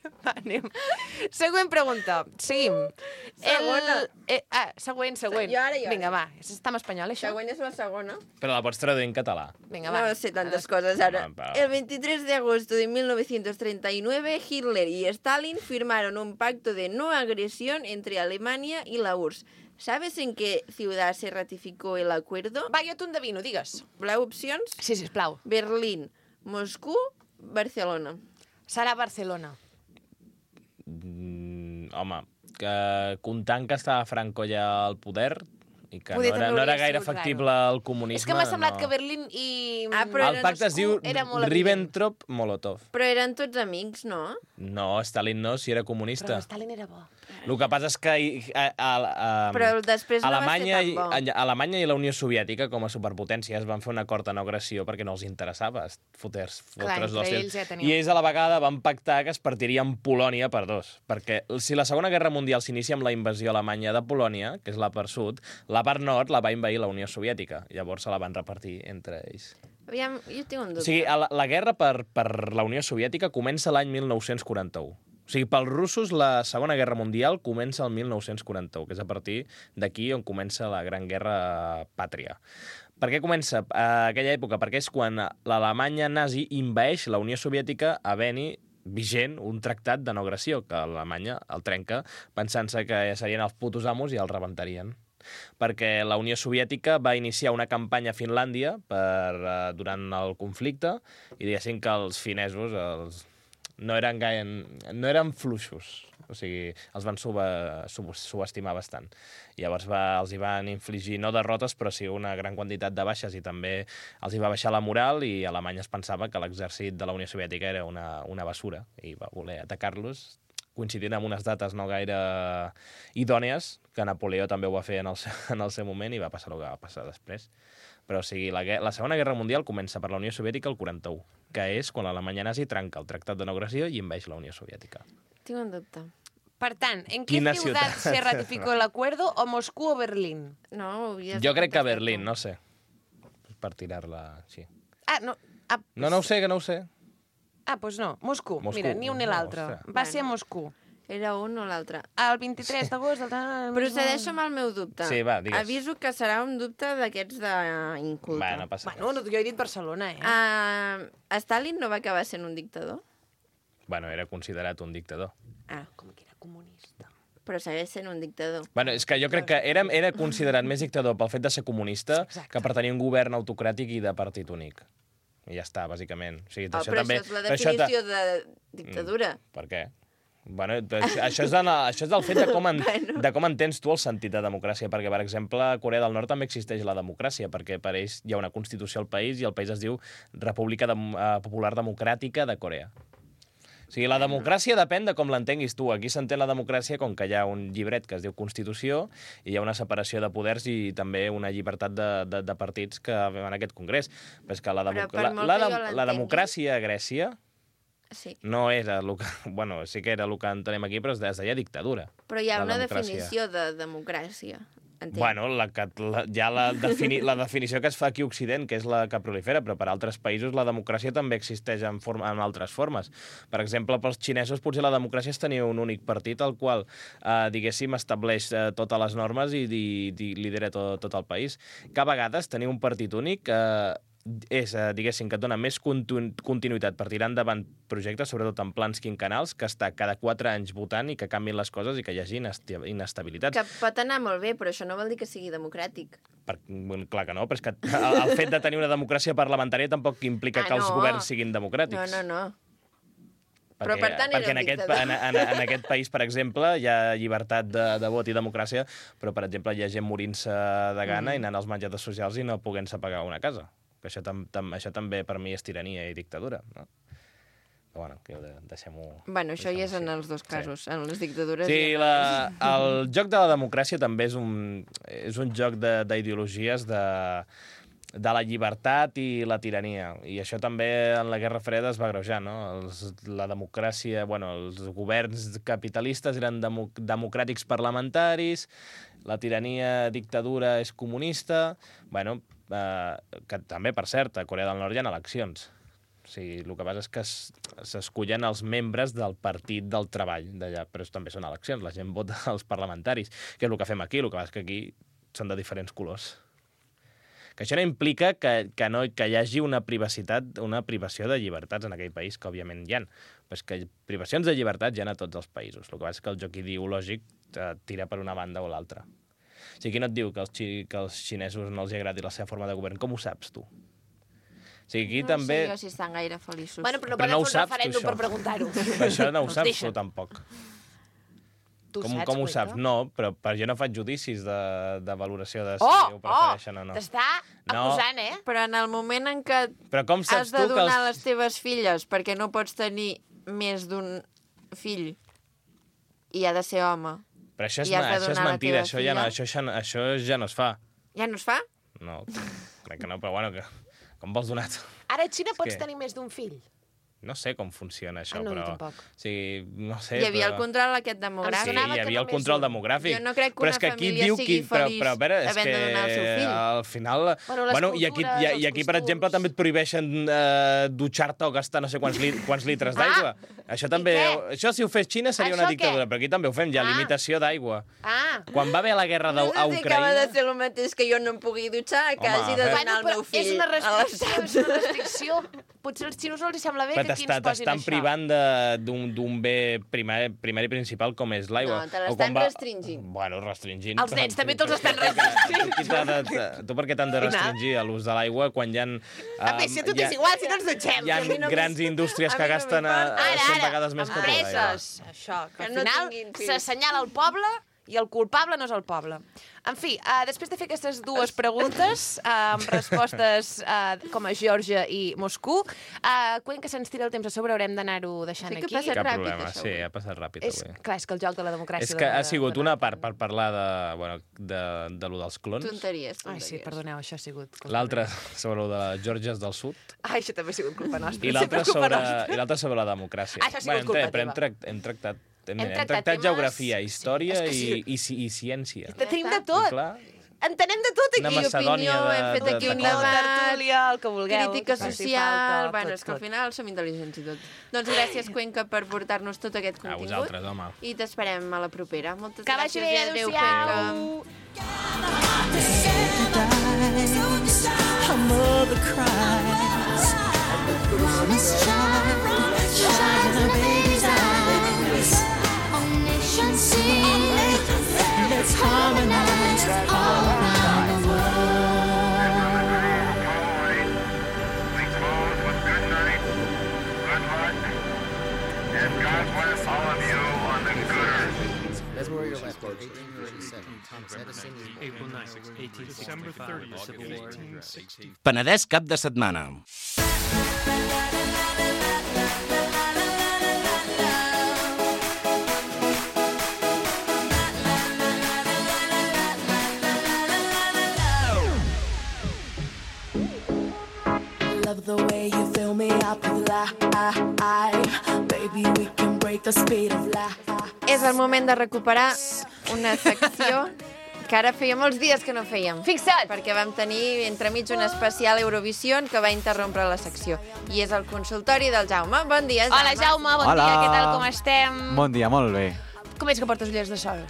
Va, anem. Següent pregunta. Seguim. Segona. Següent. Jo ara. Vinga, va. Està en espanyol, això? Següent és la segona. Però la pots traduir en català. Vinga, va. No sé tantes cosas ahora. El 23 de agosto de 1939, Hitler y Stalin firmaron un pacto de no agresión entre Alemania y la URSS. ¿Sabes en qué ciudad se ratificó el acuerdo? Va, jo t'ho endevino, digues. Voleu opcions? Sí, sisplau. Berlín, Moscú, Barcelona. Serà Barcelona. Home, que comptant que estava Franco ja al poder i que Poder no era gaire factible el comunisme... És que m'ha semblat que Berlín i el pacte es diu Ribbentrop-Molotov. Però eren tots amics, no? No, Stalin no, si era comunista. Però Stalin era bo. El que passa és que però després no Alemanya, va ser tan bo. Alemanya i la Unió Soviètica, com a superpotències, van fer un acord de no agressió perquè no els interessava fotre's ells ja tenien. I ells a la vegada van pactar que es partirien Polònia per dos. Perquè si la Segona Guerra Mundial s'inicia amb la invasió alemanya de Polònia, que és la part sud, la part nord la va invair la Unió Soviètica. Llavors se la van repartir entre ells. Aviam, jo tinc un dubte. O sigui, la guerra per la Unió Soviètica comença l'any 1941. O sigui, pels russos la Segona Guerra Mundial comença el 1941, que és a partir d'aquí on comença la Gran Guerra Pàtria. Per què comença aquella època? Perquè és quan l'Alemanya nazi invaeix la Unió Soviètica havent-hi vigent un tractat de no agressió, que Alemanya el trenca pensant-se que serien els putos amos i el rebentarien. Perquè la Unió Soviètica va iniciar una campanya a Finlàndia durant el conflicte i diguéssim que els finesos no eren fluixos, o sigui, els van subestimar bastant. Llavors els hi van infligir no derrotes, però sí una gran quantitat de baixes i també els hi va baixar la moral i Alemanya es pensava que l'exèrcit de la Unió Soviètica era una basura i va voler atacar-los coincidint amb unes dates no gaire idònies, que Napoleó també ho va fer en el seu moment i va passar el que va passar després. Però o sigui, la Segona Guerra Mundial comença per la Unió Soviètica el 41, que és quan l'Alemanya nazi trenca el Tractat de no agressió i envaeix la Unió Soviètica. Tinc un dubte. Per tant, ¿en qué ciudad se ratificó el acuerdo? ¿O Moscú o Berlín? No, jo crec que Berlín, no sé. Per tirar-la així. No. No ho sé, que no ho sé. Doncs no, Moscú. Mira, ni un ni l'altre. Va ser a Moscú. Era un o l'altre. El 23 d'agost... Procedeixo amb el meu dubte. Sí, va, digues. Aviso que serà un dubte d'aquests d'inculte. Va, no passa res. Bueno, jo he dit Barcelona, Stalin no va acabar sent un dictador? Bueno, era considerat un dictador. Com que era comunista. Però segueix sent un dictador. Bueno, és que jo crec que era considerat més dictador pel fet de ser comunista que per tenir un govern autocràtic i de partit únic. I ja està, bàsicament. O sigui, però també... això és la definició de dictadura. Per què? Bueno, això és del fet de com entens tu el sentit de democràcia, perquè, per exemple, a Corea del Nord també existeix la democràcia, perquè per ells hi ha una constitució al país i el país es diu República Popular Democràtica de Corea. O sigui, la democràcia depèn de com l'entenguis tu. Aquí s'entén la democràcia com que hi ha un llibret que es diu Constitució i hi ha una separació de poders i també una llibertat de partits que en aquest congrés. Però és que la democràcia a Grècia no era el que... Bueno, sí que era el que entenem aquí, però es deia dictadura. Però hi ha una definició de democràcia entenc. Bueno, ja la definició que es fa aquí a Occident, que és la que prolifera, però per altres països la democràcia també existeix en altres formes. Per exemple, pels xinesos potser la democràcia és tenir un únic partit al qual, diguéssim, estableix totes les normes i lidera tot el país. Que a vegades tenir un partit únic és, diguéssim, que et dona més continuïtat per tirar endavant projectes, sobretot en plans quinquennals, que està cada 4 anys votant i que canvien les coses i que hi hagi inestabilitat. Que pot anar molt bé, però això no vol dir que sigui democràtic. Clar que no, però és que el fet de tenir una democràcia parlamentària tampoc implica que els governs siguin democràtics. No. Però per tant perquè en aquest país, per exemple, hi ha llibertat de vot i democràcia, però, per exemple, hi ha gent morint-se de gana i anant als menjadors socials i no podent-se pagar una casa. Això també per mi és tirania i dictadura, no? Però bueno, que deixem-ho... Bueno, això ja és en els dos casos, en les dictadures... Sí, el joc de la democràcia també és un joc d'ideologies de la llibertat i la tirania. I això també en la Guerra Freda es va agreujar, no? La democràcia... els governs capitalistes eren democràtics parlamentaris, la tirania, dictadura és comunista... que també, per cert, a Corea del Nord hi ha eleccions. O sigui, el que passa és que s'escullen els membres del partit del treball d'allà, però també són eleccions, la gent vota als parlamentaris, que és el que fem aquí, el que passa és que aquí són de diferents colors. Que això no implica que hi hagi una privació de llibertats en aquell país, que òbviament hi ha. Però és que privacions de llibertat hi ha a tots els països. El que passa és que el joc ideològic tira per una banda o l'altra. O sigui, qui no et diu que als xinesos no els agradi la seva forma de govern? Com ho saps, tu? O sigui, aquí també... No sé jo si estan gaire feliços. Bueno, però no poden fer un referèndum per preguntar-ho. Això no ho saps tu, tampoc. Com ho saps? No, però jo no faig judicis de valoració de si ho prefereixen o no. T'està acusant, Però en el moment en què has de donar les teves filles perquè no pots tenir més d'un fill i ha de ser home... Però això és mentida, això ja no es fa. Ja no es fa? No, crec que no, però bueno, com vols donar? Ara a Xina pots tenir més d'un fill? No sé com funciona això, no, però... Tampoc. O sigui, no sé, hi havia el control aquest demogràfic. Sí, hi havia el control demogràfic. Jo no crec que una família sigui feliç havent de donar el seu fill. Al final... I aquí, per exemple, també et prohibeixen dutxar-te o gastar no sé quants litres d'aigua. Això també... Això, si ho fes Xina, seria una dictadura, però aquí també ho fem, ja, limitació d'aigua. Quan va haver la guerra a Ucraïna... No sé que va de ser el mateix que jo no em pugui dutxar, que hagi de donar el meu fill. És una restricció. Potser als xinos no els sembla bé que aquí ens posin això. T'estan privant d'un bé primari principal com és l'aigua. No, te l'estan restringint. Bueno, restringint. Els nens també te'ls estan restringint. Tu per què t'han de restringir l'ús de l'aigua quan hi ha... A més, si a tu t'és igual, si no ens dutxem. Hi ha grans indústries que gasten 100 vegades més que tu. Empreses. Això, que al final s'assenyala el poble i el culpable no és el poble. En fi, després de fer aquestes dues preguntes, amb respostes com a Geòrgia i Moscou, quan que se'ns tira el temps a sobre haurem d'anar-ho deixant aquí. Cap problema, sí, ha passat ràpid avui. Clar, és que el joc de la democràcia... És que ha sigut una part per parlar de lo dels clons. Tonteries. Ai, sí, perdoneu, això ha sigut... L'altre sobre lo de les Geòrgies del Sud. Ai, això també ha sigut culpa nostra. I l'altre sobre la democràcia. Això ha sigut culpa teva. Hem tractat geografia, història i ciència. Tenim de tot. Entenem de tot aquí. Una Macedònia hem fet aquí un tertúlia, el que vulgueu. Crítica social... Bueno, és que al final som intel·ligents i tot. Doncs gràcies, Cuenca, per portar-nos tot aquest contingut. A vosaltres, home. I t'esperem a la propera. Moltes gràcies. Que vagi bé, adéu-siau. Let's harmonize all around the world. We close with good night, good luck, and God bless all of you on the good earth. That's where you're left. 1837. Thomas Edison. April 9, 1865. December 30, Civil War. 1860. Penedès cap de setmana. Love the way you fill me up with life. Baby, we can break the speed of life. És el moment de recuperar una secció Que ara feia molts dies que no fèiem. Fixa't! Perquè vam tenir entremig un especial Eurovision que va interrompre la secció. I és el consultori del Jaume. Bon dia, Jaume. Hola, Jaume, bon dia, què tal, com estem? Bon dia, molt bé. Com és que portes ulleres de sol?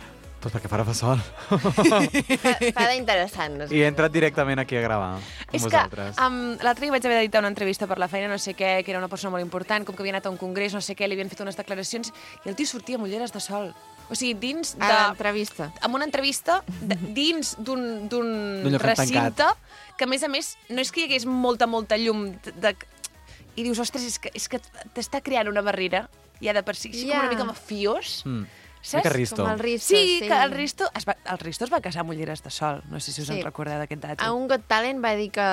Pues perquè farà fa sol. Fa d'interessant. No sé. I he entrat directament aquí a gravar amb És vosaltres. que l'altre dia vaig haver d'editar una entrevista per la feina, no sé què, que era una persona molt important, com que havia anat a un congrés, no sé què, li havien fet unes declaracions, i el tio sortia amb ulleres de sol. O sigui, dins de... A l'entrevista. Amb una entrevista, dins d'un lloc recinte, que a més, no és que hi hagués molta llum i dius, ostres, és que t'està creant una barrera, ja de per si, com una mica mafiós. Saps? Mica Risto. Com el Risto, sí. Que el Risto es va casar amb ulleres de sol. No sé si us en recordeu d'aquest dato. A un Got Talent va dir que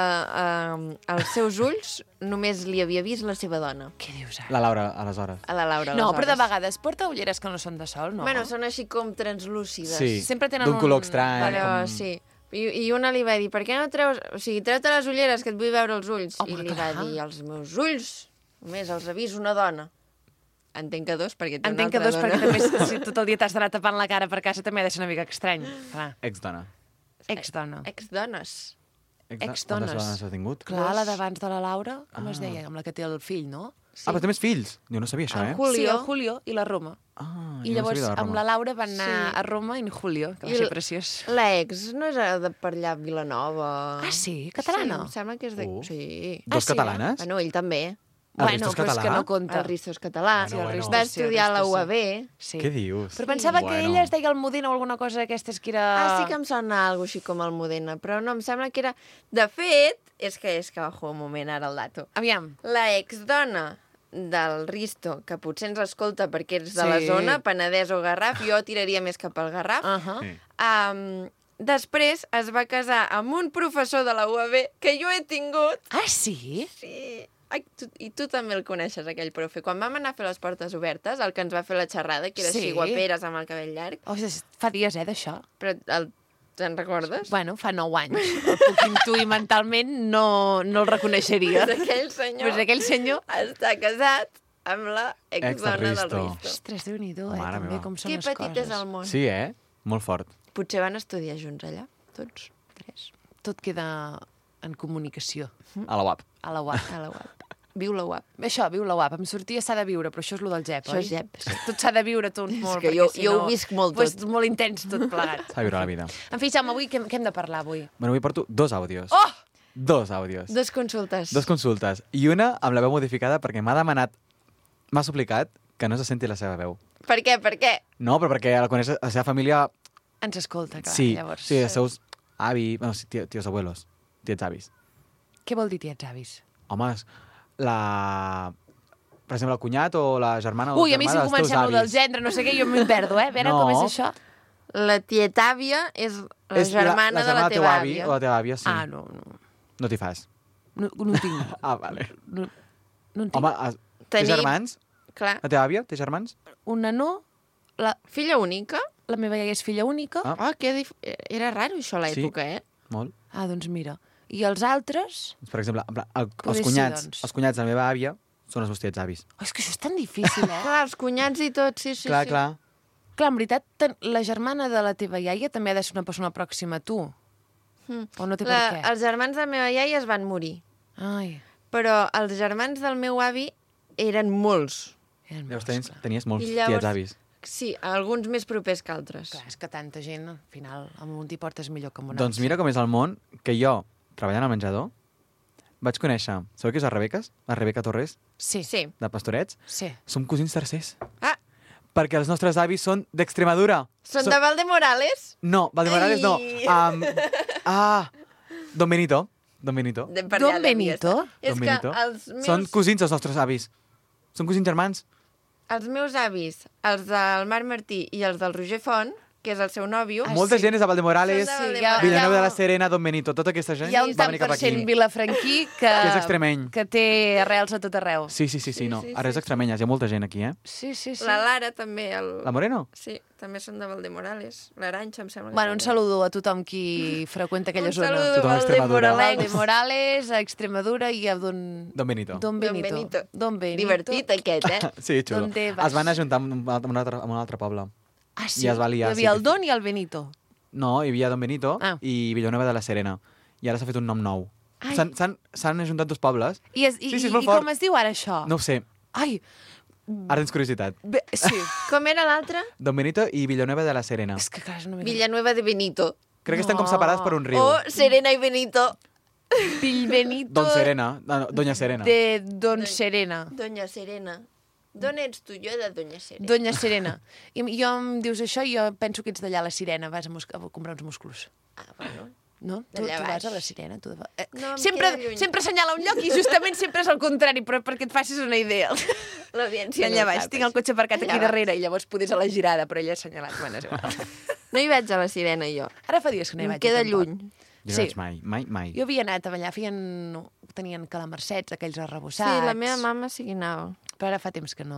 als seus ulls només li havia vist la seva dona. Què dius ara? La Laura, aleshores. A la Laura, no, però de vegades porta ulleres que no són de sol, no? Bueno, són així com translúcides. Sí, sempre tenen d'un color estrany. Però sí. I una li va dir, per què no treus... O sigui, treu-te les ulleres, que et vull veure els ulls. Home, I li va dir, els meus ulls, només els ha vist una dona. Entenc que dos, perquè té una altra dona. Perquè també, si tot el dia t'has d'anar tapant la cara per casa, també ha de ser una mica estrany. Exdona. Exdona. Exdones. Exdones. Quantes dones ha tingut? Clar, la d'abans de la Laura, com es deia? Amb la que té el fill, no? Sí. Però té més fills? Jo no sabia això, el Julio i la Roma. I llavors amb la Laura van anar a Roma en Julio, que va ser preciós. La ex no és de per allà a Vilanova. Ah, sí? Catalana? Sí, em sembla que és de... Sí. Dos catalanes? Bueno, ell també. Bueno, però és que no compta. El Risto és català. Bueno. Va estudiar a la UAB. Sí. Què dius? Però pensava que ella es deia Almudena o alguna cosa d'aquestes que era... Ah, sí que em sona alguna així com Almudena, però no, em sembla que era... De fet, és que bajo un moment ara el dato. Aviam. La exdona del Risto, que potser ens escolta perquè ets de la zona, Penedès o Garraf, jo tiraria més cap al Garraf, després es va casar amb un professor de la UAB que jo he tingut. Ah, sí? Sí. Ai, i tu també el coneixes, aquell profe. Quan vam anar a fer les portes obertes, el que ens va fer la xerrada, que era així guaperes amb el cabell llarg. Oh, fa dies, d'això. Però te'n recordes? Bueno, fa 9 anys. El puc intuir mentalment, no el reconeixeria. Pues aquell senyor està casat amb la exdona del Risto. Ostres, Déu-n'hi-do, també com són les coses. Que petit és el món. Sí, Molt fort. Potser van estudiar junts allà, tots tres. Tot queda en comunicació. A la UAP. A la UAP. A la UAP. Viu la UAP. Això, viu la UAP. Em sortia s'ha de viure, però això és lo del GEP, oi? Això és GEP. Tot s'ha de viure tot molt. És que jo ho visc molt tot. Pues, molt intens tot plegat. S'ha de viure la vida. En fi, Jaume, avui què hem de parlar, avui? Bueno, avui porto 2 àudios. Oh! 2 àudios. 2 consultes. 2 consultes. I una amb la veu modificada perquè m'ha suplicat que no se senti la seva veu. Per què? Per què? No, però perquè la seva família... Ens escolta, clar, llavors. Sí, els seus avis, tios abuelos, tiets avis. Què vol dir tiets avis? Home, per exemple, el cunyat o la germana o Ui, a mi si comencem el del gendre, no sé què, jo m'hi perdo, A veure, com és això? La tietàvia és la germana de la teva àvia. O la teva àvia, sí. Ah, no. No t'hi fas. No tinc. Vale. No en tinc. Home, té germans? Clar. La teva àvia té germans? Una no. La filla única? La meva iaia és filla única. Era raro això a l'època, Molt. Ah, doncs mira. I els altres? Per exemple, els cunyats de la meva àvia són els meus tiets avis. Oh, és que això és tan difícil, Clar, els cunyats i tot, sí. Clar. Clar, en veritat, la germana de la teva iaia també ha de ser una persona pròxima a tu. O no té per què? Els germans de la meva iaia es van morir. Ai. Però els germans del meu avi eren molts. Llavors tenies molts tiets avis. Sí, alguns més propers que altres. Clar, és que tanta gent, al final, amb un t'hi portes millor que amb un altre. Doncs mira com és el món, que jo, treballant al menjador, vaig conèixer... Sabeu qui és la Rebeca? La Rebeca Torres? Sí. De Pastorets? Sí. Som cosins tercers. Ah! Perquè els nostres avis són d'Extremadura. Són de Valdemorales? No, Valdemorales no. Don Benito. Don Benito? Don Benito? És que els meus... Són cosins els nostres avis. Són cosins germans. Els meus avis, els del Marc Martí i els del Roger Font, que és el seu nòvio... Molta gent és de Valdemorales, Vilanova de la Serena, Don Benito, tota aquesta gent va venir cap aquí. Hi ha un tant per cent vilafranquí que és extremeny. Que té arrels a tot arreu. Sí, no. Ara és extremenyes, hi ha molta gent aquí, Sí. La Lara també. La Moreno? Sí, també són de Valdemorales. L'Aranxa, em sembla. Bueno, un saludo a tothom qui freqüenta aquella zona. Un saludo a Valdemorales, a Extremadura i a Don Benito. Don Benito. Divertit aquest, Sí, xulo. Es van ajuntar amb un altre poble. Ah, sí? I es va liar. Hi havia el Don i el Benito. No, hi havia Don Benito i Villanueva de la Serena. I ara s'ha fet un nom nou. S'han ajuntat dos pobles. I com es diu ara això? No ho sé. Ai, ara tens curiositat. Sí. Com era l'altre? Don Benito i Villanueva de la Serena. És que clar, Villanueva de Benito. Crec que estan com separats per un riu. Serena i Benito. Benito... Don Serena. Doña Serena. De Don Serena. Doña Serena. D'on ets tu? Jo de Doña Serena. Doña Serena. I jo em dius això i jo penso que ets d'allà a la Sirena. Vas a comprar uns musclos. Bueno. No? Tu vas a la Sirena? No, sempre assenyala un lloc i justament sempre és el contrari, però perquè et facis una idea. L'audiència allà baix, tinc el cotxe aparcat aquí darrere i llavors podés a la girada, però ella ha assenyalat. Bueno, és igual. No hi vaig a la Sirena, jo. Ara fa dies que no hi vaig. Em queda lluny. Jo no vaig mai. Jo havia anat a ballar, tenien calamarsets, aquells arrebossats. Sí, la meva mama sí que anava. Però ara fa temps que no...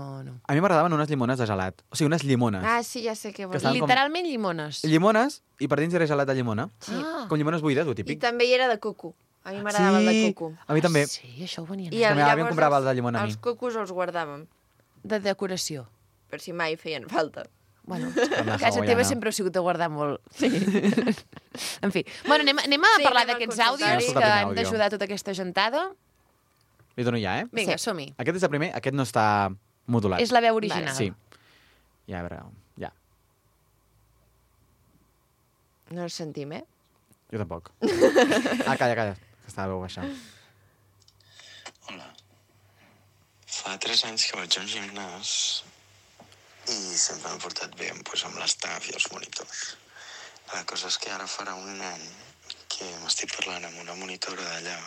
A mi m'agradaven unes llimones de gelat. O sigui, unes llimones. Ah, sí, ja sé què vols dir. Literalment llimones. Llimones, i per dins era gelat de llimona. Sí. Com llimones buides, o típic. I també hi era de coco. A mi m'agradava el de coco. A mi també. Sí, això ho venia. I llavors comprava el de llimona a mi. Els cocos els guardàvem. De decoració. Per si mai feien falta. Bueno, casa teva sempre ha sigut de guardar molt. Sí. En fi. Bueno, anem a parlar d'aquests àudios que han d'ajudar tota aquesta gentada. Li dono ja, Vinga, som-hi. Aquest és el primer, aquest no està modulat. És la veu original. Sí. Ja, a veure, ja. No el sentim, Jo tampoc. Calla, que està la veu baixa. Hola. Fa 3 anys que vaig a un gimnàs i sempre m'he portat bé amb l'estaf i els monitors. La cosa és que ara farà un any que m'estic parlant amb una monitora d'allà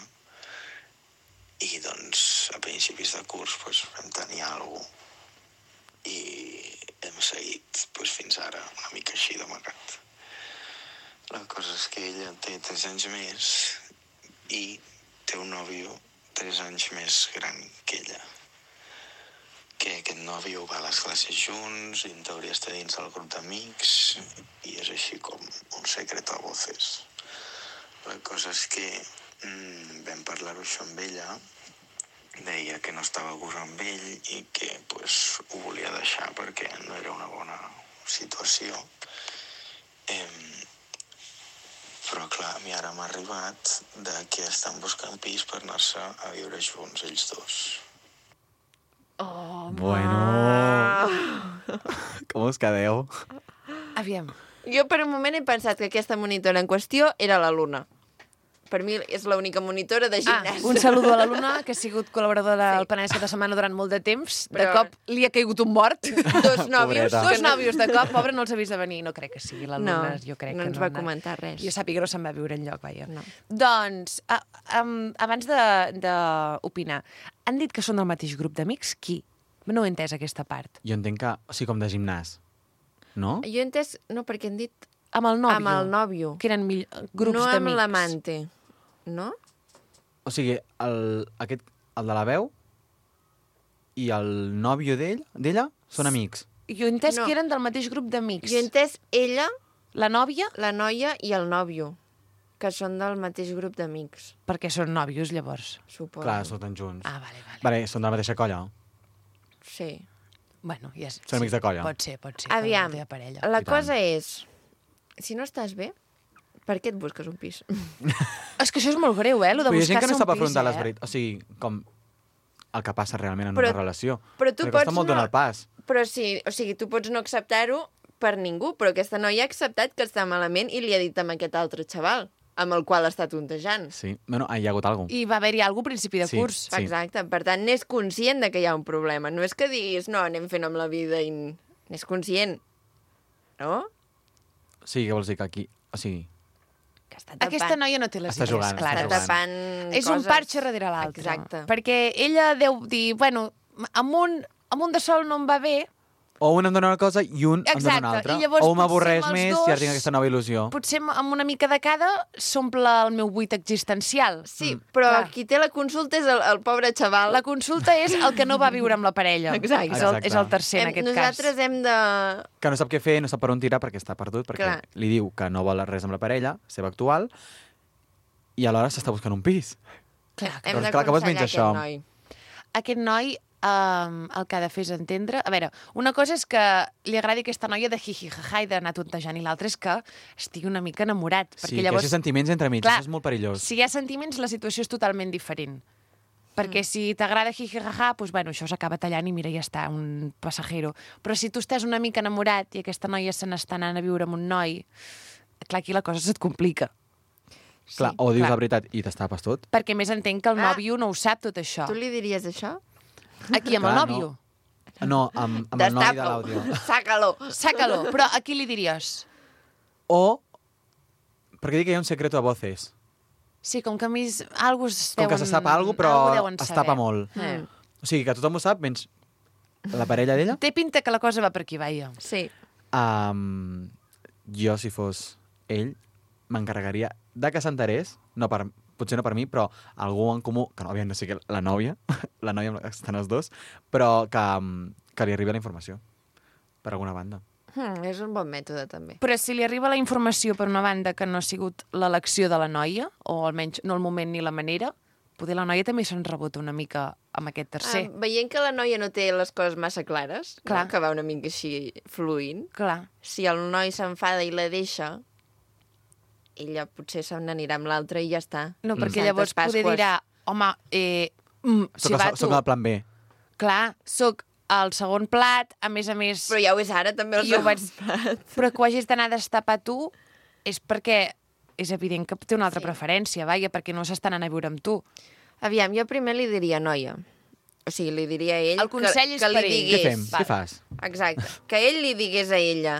i, doncs, a principis de curs vam tenir alguna cosa i hem seguit fins ara una mica així d'amagat. La cosa és que ella té 3 anys més i té un nòvio 3 anys més gran que ella. Que aquest nòvio va a les classes junts i en teoria està dins del grup d'amics i és així com un secret a voces. La cosa és que vam parlar-ho això amb ella, deia que no estava a gust amb ell i que ho volia deixar perquè no era una bona situació. Però clar, a mi ara m'ha arribat que estan buscant pis per anar-se a viure junts ells dos. Oh, bueno. Com us quedeu? Aviam. Jo per un moment he pensat que aquesta monitora en qüestió era la Luna. Per mi és l'única monitora de gimnàs. Un saludo a la Luna, que ha sigut col·laboradora del Penedès cada setmana durant molt de temps. De cop li ha caigut un mort. Dos nòvios de cop. Pobre, no els ha vist de venir. No crec que sigui la Luna. Jo crec no ens va comentar res. Jo sàpiga que no se'n va viure enlloc, vaja. No. Doncs, abans d'opinar, han dit que són del mateix grup d'amics? Qui? No he entès aquesta part. Jo entenc que, o sigui, com de gimnàs. No? Jo he entès, no, perquè han dit... Amb el nòvio. Amb el nòvio. Que eren grups d'amics. No amb l'amante. No? O sigui, el de la veu i el nòvio d'ella són amics. Jo he entès que eren del mateix grup d'amics. Jo he entès ella, la nòvia, la noia i el nòvio, que són del mateix grup d'amics. Perquè són nòvios, llavors. Suposo. Clar, surten junts. Ah, vale. Vale, són de la mateixa colla. Sí. Bueno, ja és... Són amics de colla. Pot ser. Aviam, la cosa és, si no estàs bé, per què et busques un pis? És que això és molt greu, lo de buscar-se un pis. Però hi ha gent que no sap afrontar les veritats. O sigui, com el que passa realment en una relació. Però tu pots costa molt donar el pas. Però sí, o sigui, tu pots no acceptar-ho per ningú, però aquesta noia ha acceptat que està malament i li ha dit amb aquest altre xaval, amb el qual està tontejant. Sí, bueno, hi ha hagut alguna cosa. I va haver-hi alguna cosa a principi de curs. Sí. Exacte, per tant, n'és conscient de que hi ha un problema. No és que diguis, no, anem fent amb la vida i... N'és conscient, no? Sí, què vols dir que aquí... O sigui... Aquesta noia no té les idees clares. Està tapant és un parxe darrere l'altre. Exacte. Perquè ella deu dir, bueno, amb un de sol no em va bé. O un em dona una cosa i un em dona una altra. O m'avorreix més i ara tinc aquesta nova il·lusió. Potser amb una mica de cada s'omple el meu buit existencial. Sí, però qui té la consulta és el pobre xaval. La consulta és el que no va viure amb la parella. Exacte. És el tercer en aquest cas. Nosaltres hem de... Que no sap què fer, no sap per on tirar perquè està perdut, perquè li diu que no vol res amb la parella, seva actual, i alhora s'està buscant un pis. Hem d'aconsellar aquest noi. Aquest noi el que ha de fer és entendre... A veure, una cosa és que li agradi aquesta noia de jijijaja i d'anar tontejant, i l'altra és que estigui una mica enamorat. Sí, perquè llavors, que hi sentiments entre mig, clar, això és molt perillós. Si hi ha sentiments, la situació és totalment diferent. Perquè si t'agrada jijijaja, doncs, bueno, això s'acaba tallant i mira, ja està, un passajero. Però si tu estàs una mica enamorat i aquesta noia se n'està anant a viure amb un noi, clar, aquí la cosa se't complica. Clar, o dius la veritat i t'estapes tot. Perquè més entenc que el nòvio no ho sap, tot això. Tu li diries això? Aquí, amb el nòvio? No, amb el noi de l'àudio. Sácalo. Però a qui li diries? O, perquè dic que hi ha un secreto a voces. Sí, com que a mi algú es deuen... Com que se sap alguna cosa, però es tapa molt. O sigui, que tothom ho sap, menys la parella d'ella. Té pinta que la cosa va per aquí, vaia. Sí. Jo, si fos ell, m'encarregaria de que s'enterés, potser no per mi, però algú en comú, que no havia de ser la nòvia amb la que estan els dos, però que li arribi la informació, per alguna banda. És un bon mètode, també. Però si li arriba la informació per una banda que no ha sigut l'elecció de la noia, o almenys no el moment ni la manera, poder la noia també se'n rebota una mica amb aquest tercer. Veient que la noia no té les coses massa clares, clar, no? Que va una mica així fluint, clar, si el noi s'enfada i la deixa, ella potser se n'anirà amb l'altre i ja està. No, perquè llavors poder dirà, home, soc el plan B. Clar, soc el segon plat, a més... Però ja ho és ara, també, el segon plat. Però que ho hagis d'anar a destapar tu és perquè és evident que té una altra preferència, vaja, perquè no s'està anant a viure amb tu. Aviam, jo primer li diria noia. O sigui, li diria a ell el consell és que per li ell. digués... Què fem? Què fas? Exacte. Que ell li digués a ella...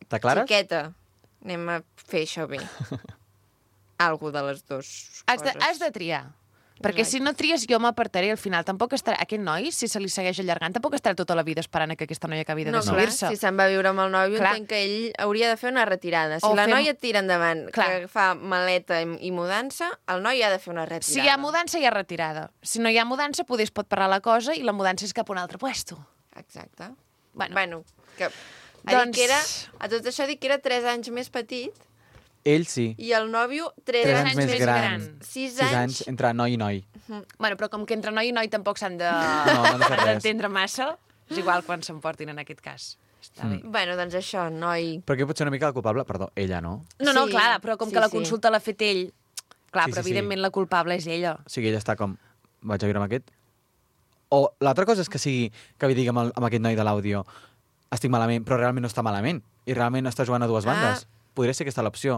T'aclares? Xiqueta, anem a fer això bé. Algú de les dues coses. Has de triar. Perquè si no tries, jo m'apartaré al final. Tampoc estarà... Aquest noi, si se li segueix allargant, tampoc estarà tota la vida esperant que aquesta noia acabi de decidir-se. No, si se'n va a viure amb el nòvio, entenc que ell hauria de fer una retirada. Si la noia tira endavant, que fa maleta i mudança, el noi ha de fer una retirada. Si hi ha mudança, hi ha retirada. Si no hi ha mudança, poder es pot parar la cosa i la mudança és cap a un altre puesto. Exacte. Bueno que... A tot això dic que era 3 anys més petit. Ell sí. I el nòvio 3 anys més gran. 6 anys entre noi i noi. Bueno, però com que entre noi i noi tampoc s'han d'entendre massa, és igual quan s'emportin en aquest cas. Està bé. Bueno, doncs això, noi... Però aquí pot ser una mica el culpable, perdó, ella, no? No, clar, però com que la consulta l'ha fet ell, clar, però evidentment la culpable és ella. O sigui, ella està com, vaig a viure amb aquest? O l'altra cosa és que sigui, que li digui amb aquest noi de l'àudio, estic malament, però realment no està malament, i realment està jugant a dues bandes. Podria ser aquesta l'opció.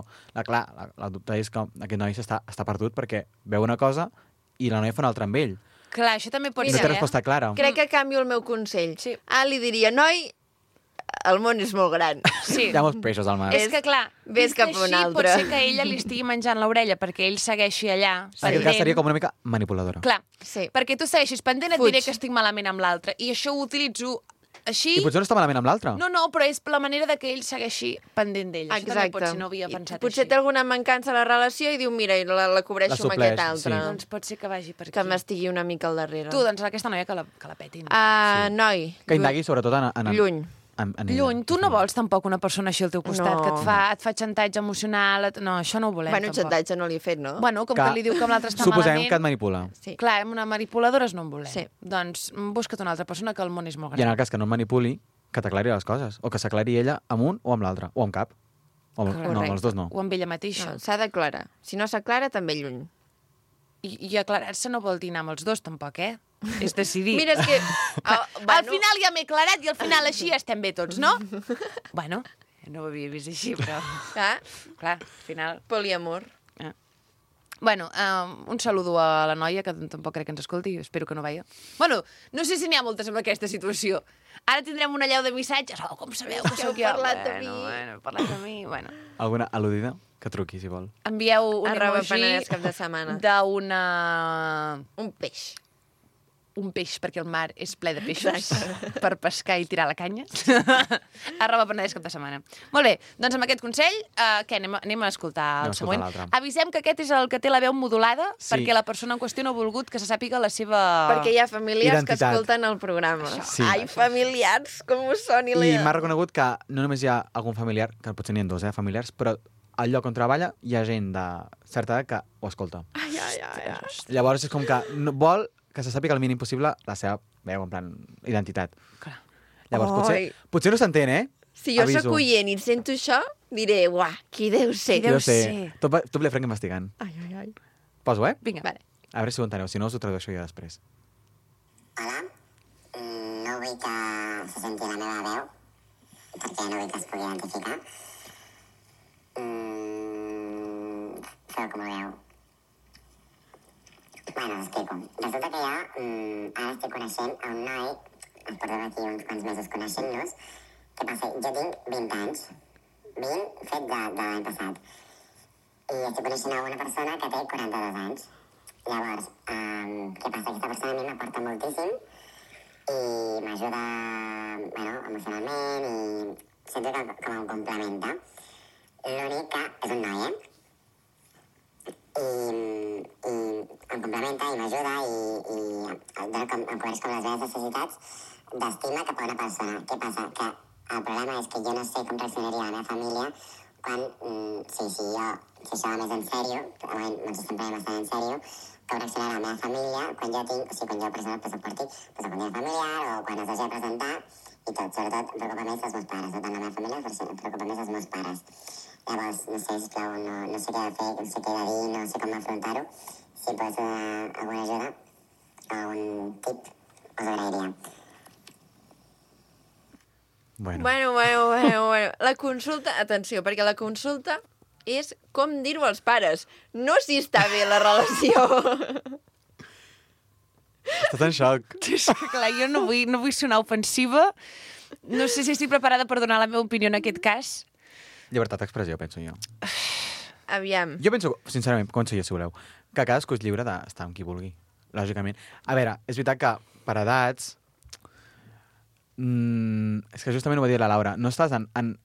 Clar, la dubte és que aquest noi està perdut perquè veu una cosa i la noia fa una altra amb ell. Clar, això també pot ser. No té resposta clara. Crec que canvio el meu consell. Sí. Li diria, noi, el món és molt gran. Sí. Hi ha molts peixos al mar. És que, clar, ves cap a un altre. Pot ser que ella li estigui menjant l'orella perquè ell segueixi allà. En aquest cas seria com una mica manipuladora. Clar, perquè tu segueixis pendent, et diré que estic malament amb l'altre. I això ho utilitzo així... I potser no està malament amb l'altre. No, però és la manera de que ell segueixi pendent d'ell. Això també pot ser, no havia pensat així. Potser té alguna mancança a la relació i diu, mira, la cobreixo amb aquest altre. Sí. Doncs pot ser que vagi per aquí. Que m'estigui una mica al darrere. Tu, doncs aquesta noia que la petin. Noi. Que indagui sobretot en lluny. Lluny. Tu no vols tampoc una persona així al teu costat, que et fa xantatge emocional. No, això no ho volem, tampoc. Xantatge no li he fet, no? Bueno, com que li diu que amb l'altre està suposem malament... que et manipula. Sí. Clar, amb una manipuladora no en volem. Sí. Doncs busca't una altra persona, que el món és molt gran. I en el cas que no et manipuli, que t'aclari les coses. O que s'aclari ella amb un o amb l'altre. O amb cap. No, amb els dos no. O amb ella mateixa. S'ha d'aclarar. Si no s'aclara, també lluny. I aclarar-se no vol dir anar amb els dos, tampoc, És decidir. Mira, és que... Al final ja m'he aclarat i al final així estem bé tots, no? Bueno, no ho havia vist així, però... Clar, al final... Poliamor. Bueno, un saludo a la noia, que tampoc crec que ens escolti, espero que no veia. Bueno, no sé si n'hi ha moltes amb aquesta situació. Ara tindrem una allau de missatges. Oh, com sabeu que sóc jo? Heu parlat de mi. Bueno, parlat de mi, bueno. Alguna al·ludida? Que truqui, si vol. Envieu un emoji cap de setmana. d'una... Un peix. Un peix, perquè el mar és ple de peixos per pescar i tirar la canya. @Penedès cap de setmana. Molt bé, doncs amb aquest consell, què, anem a escoltar el següent. Avisem que aquest és el que té la veu modulada, perquè la persona en qüestió no ha volgut que se sàpiga la seva... Perquè hi ha familiars que escolten el programa. Sí. Ai, familiars, com us soni I m'ha reconegut que no només hi ha algun familiar, que potser n'hi ha dos, familiars, però al lloc on treballa hi ha gent de certa edat que ho escolta. Ai. Llavors és com que vol que se sàpiga el mínim possible la seva veu, en plan, identitat. Clar. Llavors, Ai. potser no s'entén, Si jo Aviso. sóc oient i sento això, diré, uah, qui deu ser? Jo sé. Tot Blefranc investigant. Ai. Poso, Vinga. Vale. A veure si ho enteneu, si no us ho tradueixo jo després. Hola, no vull que se senti la meva veu, perquè no vull que es pugui identificar. Feu com ho veu. Bueno, us explico. Resulta que jo ara estic coneixent a un noi, ens portem aquí uns quants mesos coneixent-nos. Què passa? Jo tinc 20 anys, 20 fet de l'any passat, i estic coneixent a una persona que té 42 anys. Llavors, què passa? Aquesta persona a mi m'aporta moltíssim i m'ajuda, emocionalment, i sento que em complementa. L'únic que és un noi, I em complementa i m'ajuda i em cobreix com les meves necessitats d'estima cap a una persona. Què passa? Que el problema és que jo no sé com reaccionaria la meva família quan, si això va més en sèrio, ens estem prenent bastant en sèrio, com reaccionarà la meva família quan jo tinc, quan jo, per exemple, porti un dia familiar o quan es hagi de presentar i tot. Sobretot em preocupa més els meus pares, no tant la meva família, però em preocupa més els meus pares. Llavors, no sé, sisplau, no sé què he de fer, no sé què he de dir, no sé com afrontar-ho. Si pots donar alguna ajuda o un tip, us agrairia. Bueno. La consulta, atenció, perquè la consulta és com dir-ho als pares, no si està bé la relació. Estàs en xoc. És que, clar, jo no vull sonar ofensiva. No sé si estic preparada per donar la meva opinió en aquest cas. Llibertat d'expressió, penso jo. Aviam. Jo penso, sincerament, conseller, si voleu, que cadascú és lliure d'estar amb qui vulgui, lògicament. A veure, és veritat que per edats... és que justament ho va dir la Laura. No estàs en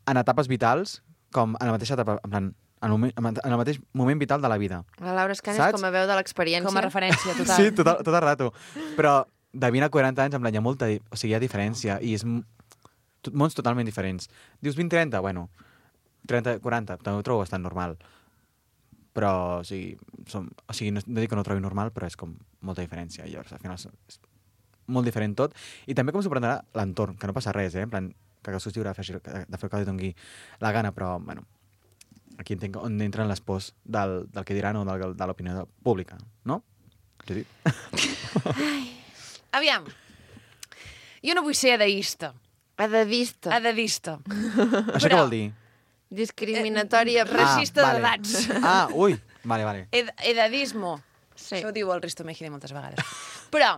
etapes vitals com en la mateixa etapa, en plan, en el mateix moment vital de la vida. La Laura Escanes com a veu de l'experiència. Com a referència, total. Sí, tot el rato. Però de 20 a 40 anys, en plan, hi ha molta... O sigui, hi ha diferència i és mons totalment diferents. Dius 20-30? Bueno, 30-40, també ho trobo bastant normal. Però, o sigui, no dic que no ho trobi normal, però és com molta diferència. I llavors, al final, és molt diferent tot. I també com s'ho prendrà l'entorn, que no passa res, en plan, que cadascú es lliure de fer el que li doni la gana, però, bueno, aquí entenc on entren les pors del que diran o de l'opinió pública, no? Judit? Aviam. Jo no vull ser edeista. Edadista. Això què vol dir? Discriminatòria. Racista d'edats. Ui, vale. Edadismo. Sí. Això ho diu el Risto Mejide moltes vegades. Però...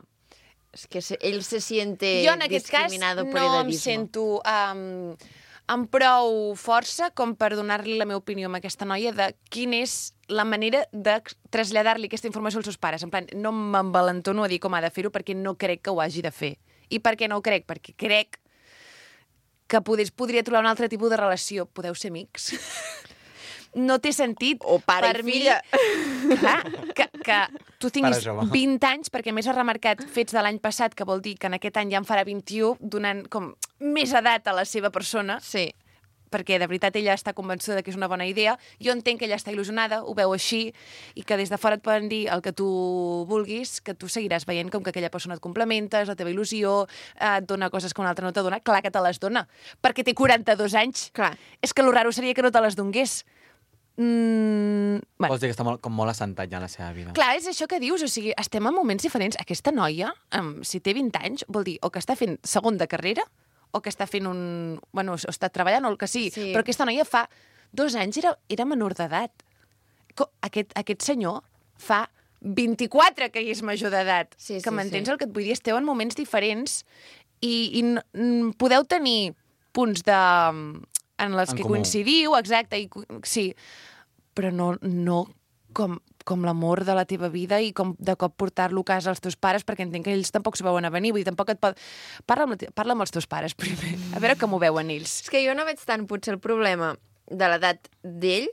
És que ell se siente jo en aquest cas no em sento amb prou força com per donar-li la meva opinió a aquesta noia de quina és la manera de traslladar-li aquesta informació als seus pares. En plan, no m'envalentono a dir com ha de fer-ho perquè no crec que ho hagi de fer. I per què no ho crec? Perquè crec que podria trobar un altre tipus de relació. Podeu ser amics? No té sentit. O pare i filla. Clar, que tu tinguis 20 anys, perquè més has remarcat fets de l'any passat, que vol dir que en aquest any ja en farà 21, donant com més edat a la seva persona. Sí. Perquè de veritat ella està convençuda que és una bona idea. Jo entenc que ella està il·lusionada, ho veu així, i que des de fora et poden dir el que tu vulguis, que tu seguiràs veient com que aquella persona et complementa, és la teva il·lusió, et dona coses que una altra no te dona. Clar que te les dona, perquè té 42 anys. Clar. És que lo raro seria que no te les donés. Bueno. Vols dir que està molt assentat ja en la seva vida. Clar, és això que dius, o sigui, estem en moments diferents. Aquesta noia, si té 20 anys, vol dir o que està fent segon de carrera, o que està fent o està treballant, o el que sigui. Sí. Però aquesta noia fa 2 anys era menor d'edat. Aquest senyor fa 24 que hi és major d'edat. Sí, que m'entens el que et vull dir? Esteu en moments diferents i podeu tenir punts en les que coincidiu, exacte, sí, però no com l'amor de la teva vida i com de cop portar-lo a casa als teus pares, perquè entenc que ells tampoc s'ho veuen a venir, vull dir, tampoc et pot... Parla amb els teus pares primer, a veure com ho veuen ells. És que jo no veig tant potser el problema de l'edat d'ell,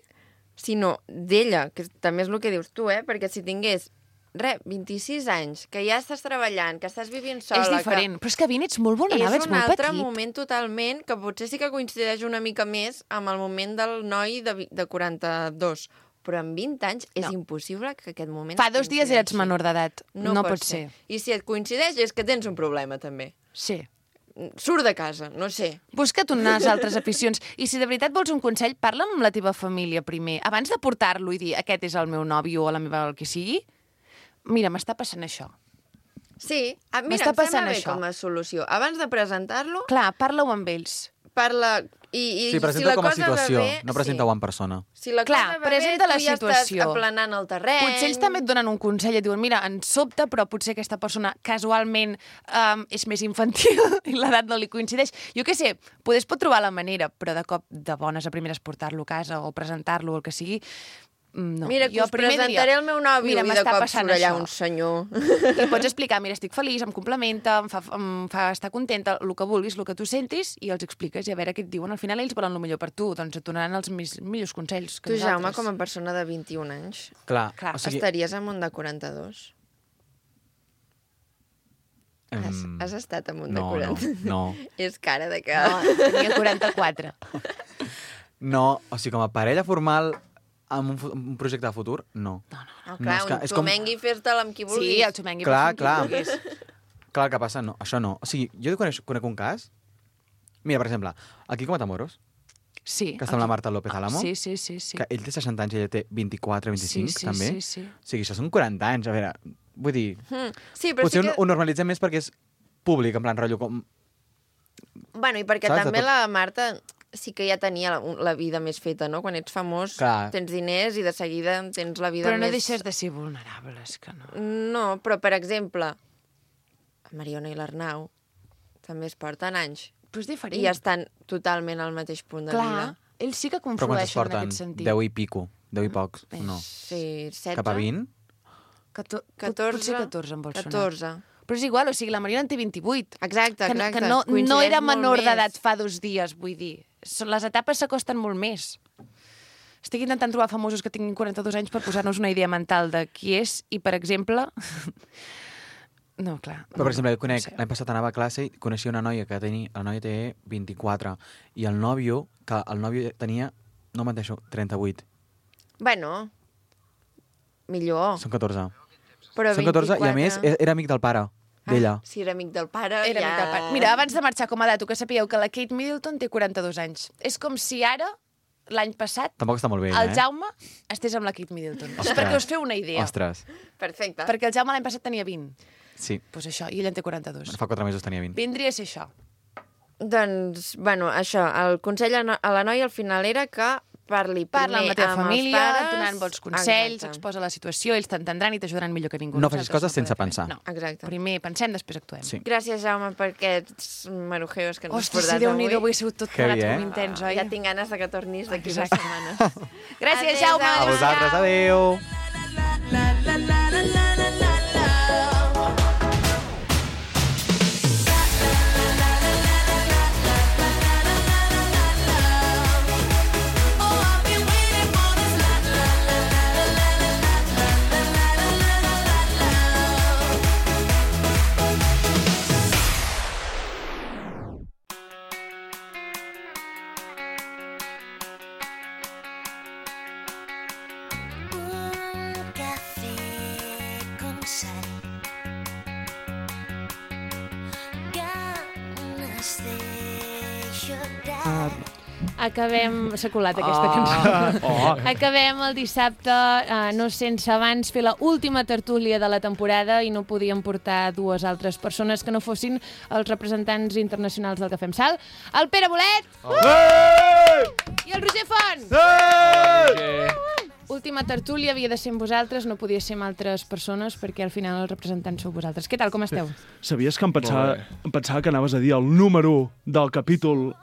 sinó d'ella, que també és el que dius tu, perquè si tingués 26 anys, que ja estàs treballant, que estàs vivint sola... És diferent, però és que 20 ets molt vulnerable, ets molt petit. És un altre moment totalment, que potser sí que coincideix una mica més amb el moment del noi de 42. però en 20 anys és impossible que aquest moment... Fa 2 dies eres menor d'edat. No pot ser. I si et coincideix és que tens un problema, també. Sí. Surt de casa, no sé. Busca't unes altres aficions. I si de veritat vols un consell, parla amb la teva família primer. Abans de portar-lo i dir aquest és el meu nòvio o la meva el que sigui, mira, m'està passant això. Sí, mira, em sembla bé com a solució. Abans de presentar-lo... Clar, parla-ho amb ells. Parla... Sí, presenta com a situació, no presenta-ho en persona. Si la cosa va bé, tu ja estàs aplanant el terreny... Potser ells també et donen un consell i et diuen, mira, ens sobta, però potser aquesta persona casualment és més infantil i l'edat no li coincideix. Jo què sé, pot trobar la manera, però de cop de bones a primeres portar-lo a casa o presentar-lo o el que sigui... No. Mira, que us presentaré el meu nòvio i de cop surt allà un senyor. I pots explicar, mira, estic feliç, em complementa, em fa estar contenta, el que vulguis, el que tu sentis, i els expliques i a veure què et diuen. Al final ells volen el millor per tu, doncs et donaran els millors consells que nosaltres. Tu, Jaume, com a persona de 21 anys, clar, estaries en un de 42? Has estat en un de 40? No. És cara de que... No, tenia 44. No, o sigui, com a parella formal... amb un projecte de futur, no. No, clar, un xomengui fes-te'l amb qui vulguis. Sí, el xomengui fes-te'l amb qui vulguis. Clar, el que passa, no, això no. O sigui, jo conec un cas... Mira, per exemple, aquí com a Tamoros, sí, que està amb la Marta López Álamo, sí. Que ell té 60 anys i ella té 24, 25, també. Sí. O sigui, això són 40 anys, a veure, vull dir... Sí, però potser ho normalitzem més perquè és públic, en plan rotllo com... Bueno, i perquè també la Marta... sí que ja tenia la vida més feta, no? Quan ets famós, tens diners i de seguida tens la vida més... Però no deixes de ser vulnerable, és que no. No, però, per exemple, la Mariona i l'Arnau també es porten anys. Però és diferent. I estan totalment al mateix punt de vida. Ells sí que conflueixen en aquest sentit. Però 10 i pico, 10 i pocs, no. Sí, 16. Cap a 20? 14. Potser 14 em vol sonar. 14. Però és igual, o sigui, la Mariona en té 28. Exacte. Que no era menor d'edat fa 2 dies, vull dir. Les etapes s'acosten molt més. Estic intentant trobar famosos que tinguin 42 anys per posar-nos una idea mental de qui és i, per exemple... No, clar. Però, per exemple, jo conec, l'any passat anava a classe i coneixia una noia que la noia té 24 i el nòvio tenia, no menteixo, 38. Bueno, millor. Són 14. Però són 14 i, a més, era amic del pare d'ella. Si era amic del pare, era amic del pare. Mira, abans de marxar com a dato, que sapigueu que la Kate Middleton té 42 anys. És com si ara, l'any passat, tampoc està molt bé, el Jaume estés amb la Kate Middleton. Ostres. Perquè us feu una idea. Ostres. Perfecte. Perquè el Jaume l'any passat tenia 20. Sí. Doncs això, i ell en té 42. Fa 4 mesos tenia 20. Vindria a ser això. Doncs, bueno, això, el consell a la noia al final era que parla amb la teva família, donant bons consells, exacte. exposa la situació, ells t'entendran i t'ajudaran millor que ningú. No facis coses sense pensar. No, exacte. Primer pensem, després actuem. Sí. Gràcies, Jaume, per aquests marujeos que ens has portat avui. Ostres, Déu-n'hi-do, avui ha sigut tot plegat intens, oi? Ja tinc ganes de que tornis d'aquí 2 setmanes. Gràcies, Jaume. A vosaltres, adéu. Acabem... S'ha colat aquesta cançó. Acabem el dissabte, no sense abans fer la última tertúlia de la temporada i no podíem portar 2 altres persones que no fossin els representants internacionals del Cafè amb Sal. El Pere Bolet! I el Roger Font! Última tertúlia havia de ser amb vosaltres, no podia ser amb altres persones perquè al final els representants sou vosaltres. Què tal, com esteu? Sabies que em pensava que anaves a dir el número del capítol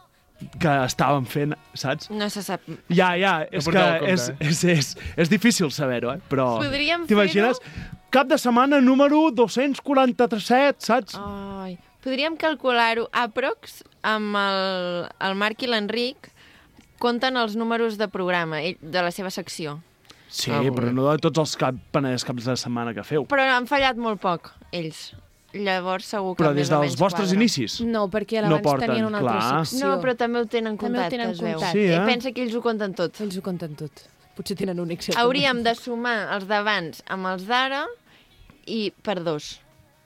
que estàvem fent, saps? No se sap. Ja, és que és difícil saber-ho, però t'imagines? Cap de setmana número 247, saps? Ai, podríem calcular-ho aprox amb el Marc i l'Enric compten els números de programa de la seva secció. Sí, però no de tots els caps de setmana que feu. Però han fallat molt poc, ells. Llavors segur que però des dels vostres inicis? No, perquè abans tenien una altra secció. No, però també ho tenen comptat, es veu. Sí, Pensa que ells ho compten tot. Ells ho compten tot. Potser tenen un Excel. Hauríem de sumar els d'abans amb els d'ara i per 2.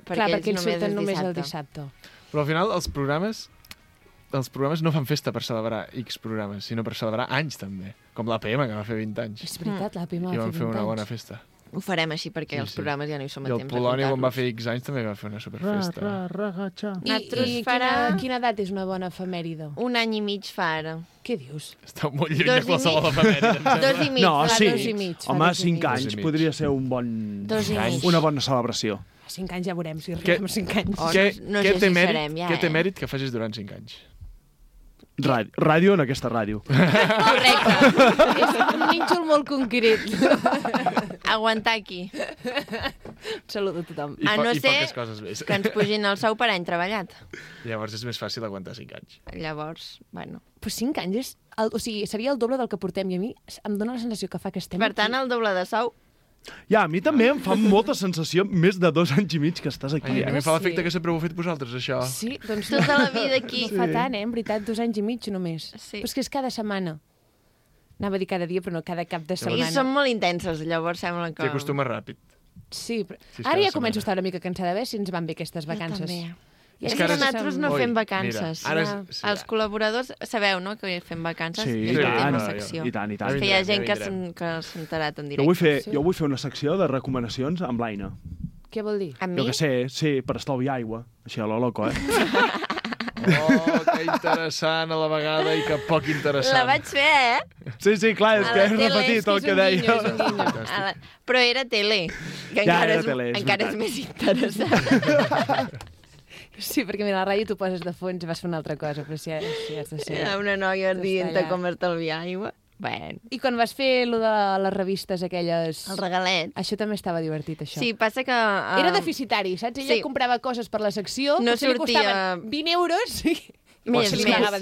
Clar, perquè ells surten només el dissabte. Però al final els programes no fan festa per celebrar X programes, sinó per celebrar anys també. Com l'APM, que va fer 20 anys. És veritat, l'APM va fer 20 anys. I van fer una bona festa. Ho farem així perquè els programes ja no hi som a temps de comptar-los. I el Polònia, quan va fer X anys, també va fer una superfesta. I quina edat és una bona efemèride? 1 any i mig fa ara. Què dius? Està molt lluny de qualsevol efemèride. 2 i mig. No, sí. 2 i mig. Home, 5 anys podria ser una bona celebració. 5 anys ja veurem si arribem a 5 anys. Què té mèrit que facis durant 5 anys? Ràdio en aquesta ràdio. Correcte. És un nínxol molt concret. Aguantar aquí. Salut a tothom. A no ser que ens pugin el sou per any treballat. Llavors és més fàcil aguantar 5 anys. Llavors, bueno. Però 5 anys és... O sigui, seria el doble del que portem i a mi em dóna la sensació que fa que estem Per tant, el doble de sou. Ja, a mi també em fa molta sensació més de 2 anys i mig que estàs aquí. A mi fa l'efecte que sempre ho heu fet vosaltres, això. Sí, doncs tota la vida aquí. No fa tant, en veritat, 2 anys i mig només. Sí. Però és que és cada setmana. Anava a dir cada dia, però no cada cap de setmana. I són molt intenses, llavors sembla que... T'hi acostumes ràpid. Sí, però... Ara ja començo a estar una mica cansada, a veure si ens van bé aquestes vacances. Jo també. És que nosaltres no fem vacances. Els col·laboradors sabeu, no?, que fem vacances. Sí, i tant. Que hi ha gent que s'ha enterat en directe. Jo vull fer una secció de recomanacions amb l'Aina. Què vol dir? Amb mi? Jo que sé, sí, per estalviar aigua. Així a lo loco, Oh, que interessant a la vegada i que poc interessant. La vaig fer, Sí, clar, és que he repetit el que deia. Però era tele, que encara és més interessant. Sí, perquè mira, la ràdio tu poses de fons i vas fer una altra cosa, però si has de ser... Una noia dient com estalviar aigua. Bueno. I quan vas fer lo de les revistes aquelles... El regalet. Això també estava divertit, això. Sí, passa que... Era deficitari, saps? Ella comprava coses per la secció, no potser li costaven 20 euros i...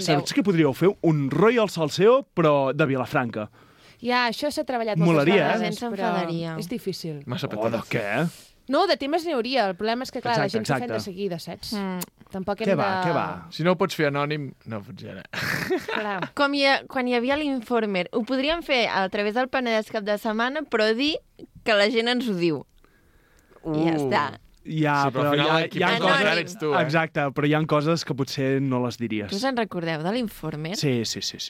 Saps que podríeu fer un Royal Salseo, però de Vilafranca? Ja, això s'ha treballat moltes vegades. La gent s'enfadaria. És difícil. Massa petó. Què? No, de temes n'hi hauria. El problema és que, clar, la gent s'ha fet de seguida, saps? Tampoc hem Què va? Si no ho pots fer anònim, no ho pots fer ara. Com quan hi havia l'Informer, ho podríem fer a través del Penedès cap de setmana, però dir que la gent ens ho diu. I ja està. Ja, sí, però hi ha coses... Ets tu, Exacte, però hi ha coses que potser no les diries. Tu se'n recordeu de l'Informer? Sí.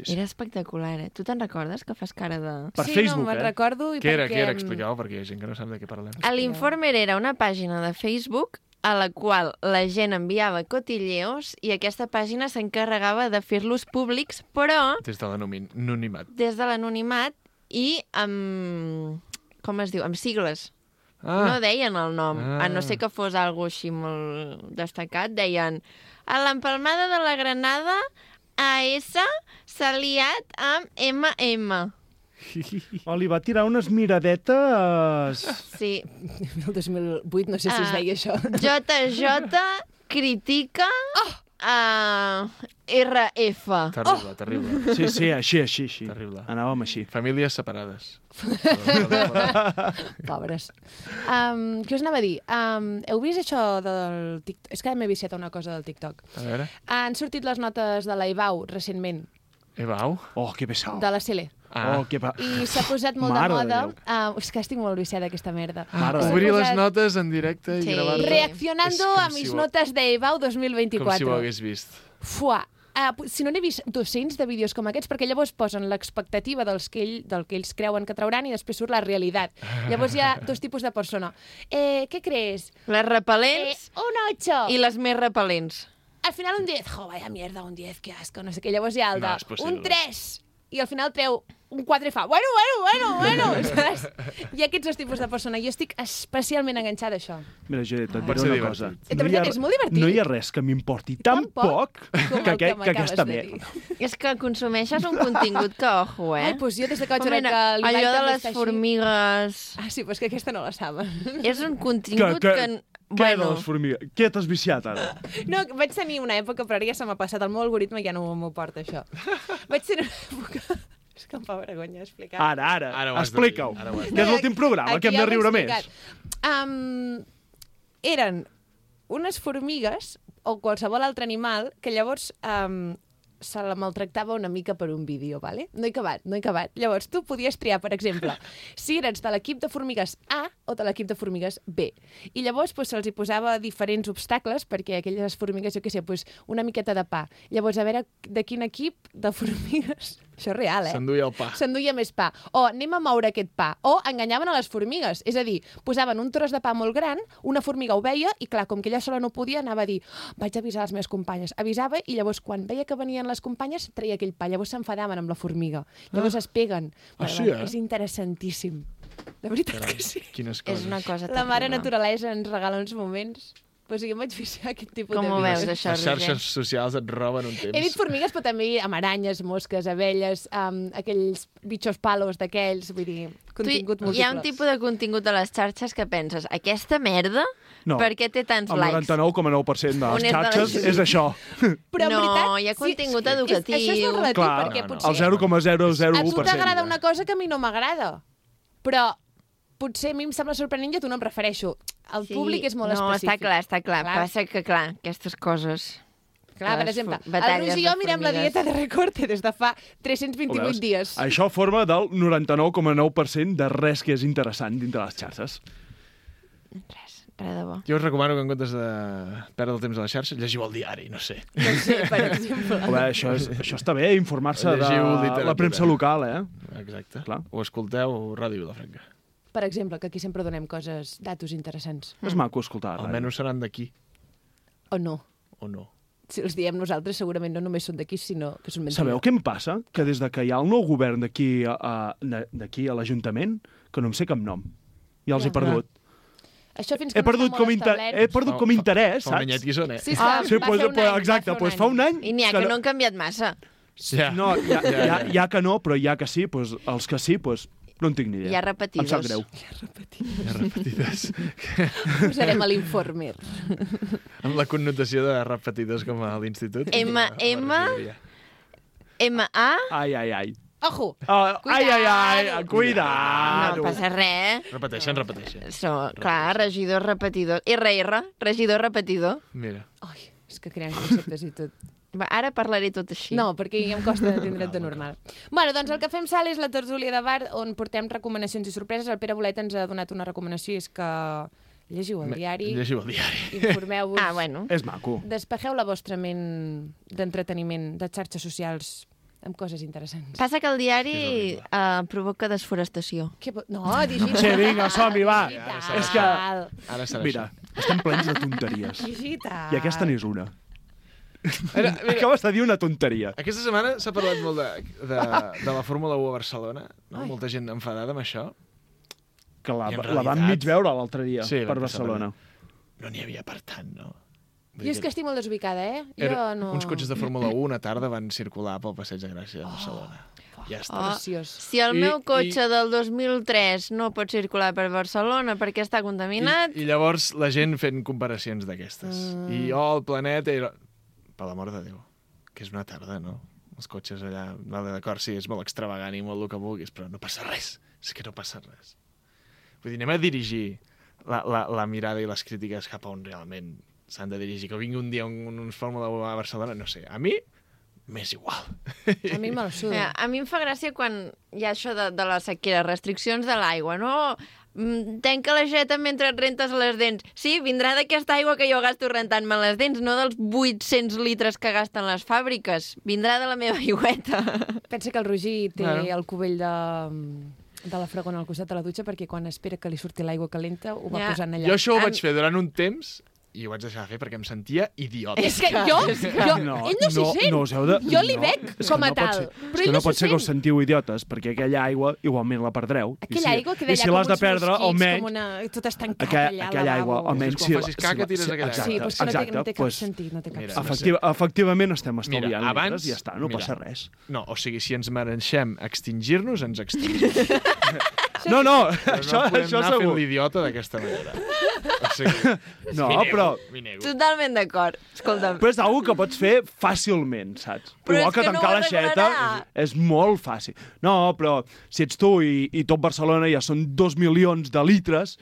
Era espectacular, eh? Tu te'n recordes que fas cara de... Per Facebook, no, me'n recordo i Què era? Expliqueu, perquè hi ha gent que no sap de què parlem. L'Informer era una pàgina de Facebook a la qual la gent enviava cotilleos i aquesta pàgina s'encarregava de fer-los públics, però... Des de l'anonimat. Des de l'anonimat i amb... Com es diu? Amb sigles. No deien el nom, a no ser que fos algo així molt destacat. Deien, a l'empalmada de la Granada, AS s'ha liat amb MM. Li va tirar unes miradetes... Sí. El 2008 no sé si es deia això. JJ critica RF. Terrible. Sí, així. Terrible. Anàvem així. Famílies separades. Pobres. Què us anava a dir? Heu vist això del TikTok? És que m'he viciat a una cosa del TikTok. A veure. Han sortit les notes de la EBAU recentment. EBAU? Oh, que pesau. De la CL. I s'ha posat molt de moda... És que estic molt viciada aquesta merda. Obrir les notes en directe i gravar-te. Reaccionando a mis notes de EBAU 2024. Com si ho hagués vist. Fuà. Si no n'he vist 200 de vídeos com aquests, perquè llavors posen l'expectativa del que ells creuen que trauran i després surt la realitat. Llavors hi ha dos tipus de persona. Què crees? Les repel·lents un 8. I les més repel·lents. Al final un 10. Vaya mierda, un 10, que asco, no sé què. Llavors hi ha el de un 3. I al final treu un 4 i fa, bueno, saps? Hi ha aquests dos tipus de persona. Jo estic especialment enganxada a això. Mira, Judit, et diré una cosa. De veritat, és molt divertit. No hi ha res que m'importi tan poc que aquesta merda. És que consumeixes un contingut que, ojo, Ai, doncs jo des que vaig veure que allò de les formigues... Ah, sí, però és que aquesta no la saben. És un contingut que... Què de les formigues? Què t'has viciat, ara? No, vaig tenir una època, però ara ja se m'ha passat. El meu algoritme ja no m'ho porta, això. Vaig tenir una època... És que em fa vergonya explicar. Ara, explica-ho. Que és l'últim programa, que hem de riure més. Eren unes formigues, o qualsevol altre animal, que llavors se la maltractava una mica per un vídeo, ¿vale? No he acabat. Llavors, tu podies triar, per exemple, si eres de l'equip de formigues A o de l'equip de formigues B. I llavors se'ls hi posava diferents obstacles perquè aquelles formigues, jo què sé, una miqueta de pa. Llavors, a veure de quin equip de formigues... Això és real, S'enduia el pa. S'enduia més pa. O anem a moure aquest pa. O enganyaven a les formigues. És a dir, posaven un tros de pa molt gran, una formiga ho veia i, clar, com que ella sola no podia, anava a dir vaig avisar les meves companyes. Avisava i llavors, quan veia que venien les companyes, treia aquell pa. Llavors s'enfadaven amb la formiga. Llavors es peguen. Sí, És interessantíssim. De veritat que sí. Quines coses. És una cosa La mare terrible. naturalesa ens regala uns moments... Pues sí, em vaig fixar aquest tipus Com de ho vídeos. veus, això, Les xarxes socials et roben un temps. He dit formigues, però també amb aranyes, mosques, abelles, aquells bitxos palos d'aquells, vull dir, contingut múltiple. Hi ha un tipus de contingut a les xarxes que penses, aquesta merda, No. per què té tants El likes? 99,9% de On les és de la xarxes gent? és això. Però en No, veritat, hi ha contingut educatiu. Això és molt relatiu, Clar, perquè potser... el 0,001%. A tu t'agrada una cosa que a mi no m'agrada, però potser a mi em sembla sorprenent i a tu no em refereixo. El públic és molt específic. No, està clar. Passa que, clar, aquestes coses... Clar, per exemple, el batalles Roger i de jo mirem la formigues. dieta de recorte des de fa 328 dies. Això forma del 99,9% de res que és interessant dintre les xarxes. Res de bo. Jo us recomano que en comptes de perdre el temps a la xarxa, llegiu el diari, no sé. No sé, per exemple. A veure, això està bé, informar-se de Llegiu literatura. la premsa local, Exacte. Clar. O escolteu Ràdio Vilafranca. Per exemple, que aquí sempre donem coses, datos interessants. És maco escoltar. Almenys seran d'aquí. O no. O no. Si els diem nosaltres, segurament no només són d'aquí, sinó que són mentida. Sabeu què em passa? Que des de que hi ha el nou govern d'aquí a l'Ajuntament, que no em sé cap nom. Ja els he perdut. Això fins que He no perdut està molt establert. He perdut com interès, Fa un saps? anyet que hi són, Sí, va fer un any, exacte, doncs fa un any... I n'hi ha que no han canviat massa. Ja. No, hi ha que no, però hi ha que sí, doncs els que sí, doncs no en tinc ni idea. Hi ha repetidos. Em sap greu. Hi ha repetides. Posarem a l'informer. Amb la connotació de repetides com a l'institut. M-A... Ai. Ojo! Cuidado! No passa res. Repeteixen. Clar, regidor repetidor. R, regidor repetidor. Mira. Ai, és que creem conceptes i tot. Va, ara parlaré tot així. No, perquè ja em costa tindre't de normal. Bueno, doncs el que fem sal és la tertúlia de bar on portem recomanacions i sorpreses. El Pere Bolet ens ha donat una recomanació, és que llegiu el diari. Llegiu el diari. Informeu-vos. Bueno. És maco. Despejeu la vostra ment d'entreteniment, de xarxes socials, amb coses interessants. Passa que el diari provoca desforestació. No, digital. Sí, vinga, som-hi, va. Digital. És que... Ara serà Mira, estem plens de tonteries. Digital. I aquesta n'és una. Acabes de dir una tonteria. Aquesta setmana s'ha parlat molt de la Fórmula 1 a Barcelona. No? Molta gent enfadada amb això. Que la vam mig veure l'altre dia per vam Barcelona. No n'hi havia per tant, no? Jo és que estic molt desubicada, Uns cotxes de Fórmula 1 una tarda van circular pel Passeig de Gràcia de Barcelona. Ja està. Si el meu cotxe del 2003 no pot circular per Barcelona perquè està contaminat... I llavors la gent fent comparacions d'aquestes. I el planeta... Per l'amor de Déu, que és una tarda, no? Els cotxes allà, vale, d'acord, sí, és molt extravagant i molt el que vulguis, però no passa res. És que no passa res. Vull dir, anem a dirigir la mirada i les crítiques cap a on realment s'han de dirigir. Que vingui un dia uns Fórmula 1 a Barcelona, no sé, a mi m'és igual. A mi me'l suda. A mi em fa gràcia quan hi ha això de la sequera, restriccions de l'aigua, no? Tanca l'aixeta mentre et rentes les dents. Sí, vindrà d'aquesta aigua que jo gasto rentant-me les dents, no dels 800 litres que gasten les fàbriques. Vindrà de la meva aigüeta. Pensa que el Roger té el cubell de la fregona al costat de la dutxa perquè quan espera que li surti l'aigua calenta ho va posant allà. Jo això ho vaig fer durant un temps i ho vaig deixar de fer perquè em sentia idiota. És que ell no s'hi sent. Jo li veig com a tal. És que no pot ser que us sentiu idiotes, perquè aquella aigua igualment la perdreu. Aquella aigua queda allà com uns mosquits, com una... Tot estancat allà. Aquella aigua, almenys... Quan facis caca, tires aquella aigua. Sí, però no té cap sentit, no té cap sentit. Efectivament estem estalviant litres i ja està, no passa res. No, o sigui, si ens mereixem extingir-nos, ens extingim. No, això segur. No podem anar fent l'idiota d'aquesta manera. O sigui, no, però... Totalment d'acord. Escolta'm. Però és una que pots fer fàcilment, saps? Però igual que tancar l'aixeta és molt fàcil. No, però si ets tu i tot Barcelona ja són 2 milions de litres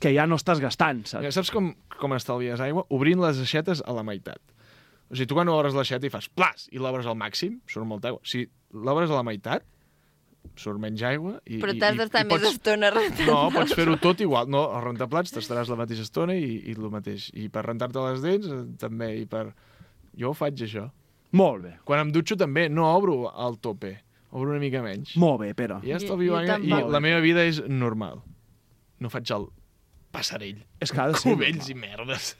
que ja no estàs gastant, saps? Saps com estalvies aigua? Obrint les aixetes a la meitat. O sigui, tu quan obres l'aixeta i fas plas i l'obres al màxim, surt molta aigua. Si l'obres a la meitat, surt menys aigua. Però t'has d'estar més estona rentant. No, pots fer-ho tot igual. No, al rentaplats t'estaràs la mateixa estona i el mateix. I per rentar-te les dents, també. I per... Jo ho faig, això. Molt bé. Quan em dutxo, també, no obro al tope. Obro una mica menys. Molt bé, Pere. I ja estalvio aigua. I la meva vida és normal. No faig el passarell. És que ha de ser cubells i merdes.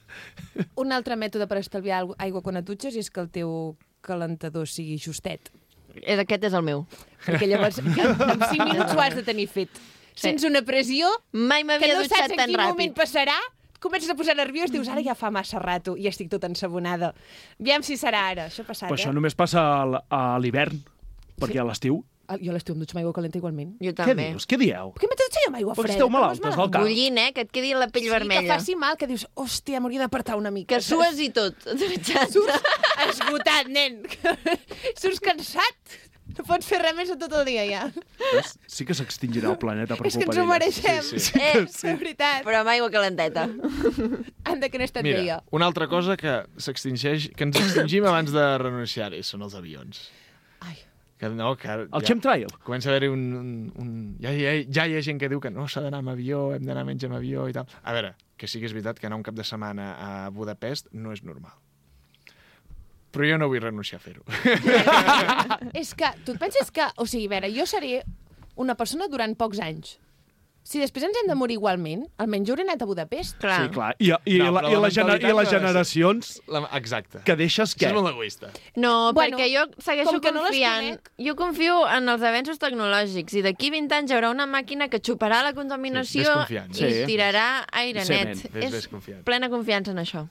Un altre mètode per estalviar aigua quan et dutxes és que el teu calentador sigui justet. Aquest és el meu. Perquè llavors, en 5 minuts ho has de tenir fet. Sense una pressió, mai m'havia dutxat tan ràpid. Que no saps en quin moment passarà, comences a posar nerviós, dius, ara ja fa massa rato i estic tot ensabonada. Aviam si serà ara. Això ha passat, Però això només passa a l'hivern, perquè a l'estiu... Jo a l'estiu em dutxo amb aigua calenta igualment. Jo també. Què dius? Què dieu? Per què m'he de dutxar amb aigua freda? Perquè esteu malaltes al cap. Bullint, que et quedi la pell vermella. Sí, que faci mal, que dius, hòstia, m'hauria d'apartar una mica. Que sues i tot. Surts esgotat, nen. Surts cansat. No pots fer res més en tot el dia, ja. Sí que s'extingirà el planeta per És que culpa ens ho d'elles. mereixem. De veritat. Però amb aigua calenteta. Anda, que no he estat Mira, veia. una altra cosa que s'extingeix, que ens extingim abans de renunciar-hi, són els avions. Que no, que el chemtrail. Comença a haver-hi ja hi ha gent que diu que no s'ha d'anar amb avió, hem d'anar menys amb avió i tal. A veure, que sí que és veritat que anar un cap de setmana a Budapest no és normal. Però jo no vull renunciar a fer-ho. És que, tu et penses que... O sigui, a veure, jo seré una persona durant pocs anys. Si després ens hem de morir igualment, almenys jo hauré anat a Budapest. Clar. Sí, clar. I les generacions exacte. Que deixes què? Això és molt egoista. No, Bueno, perquè jo segueixo com que no les confiant. Jo confio en els avenços tecnològics i d'aquí 20 anys hi haurà una màquina que xuparà la contaminació Sí, i tirarà aire net. Ves confiant. Plena confiança en això.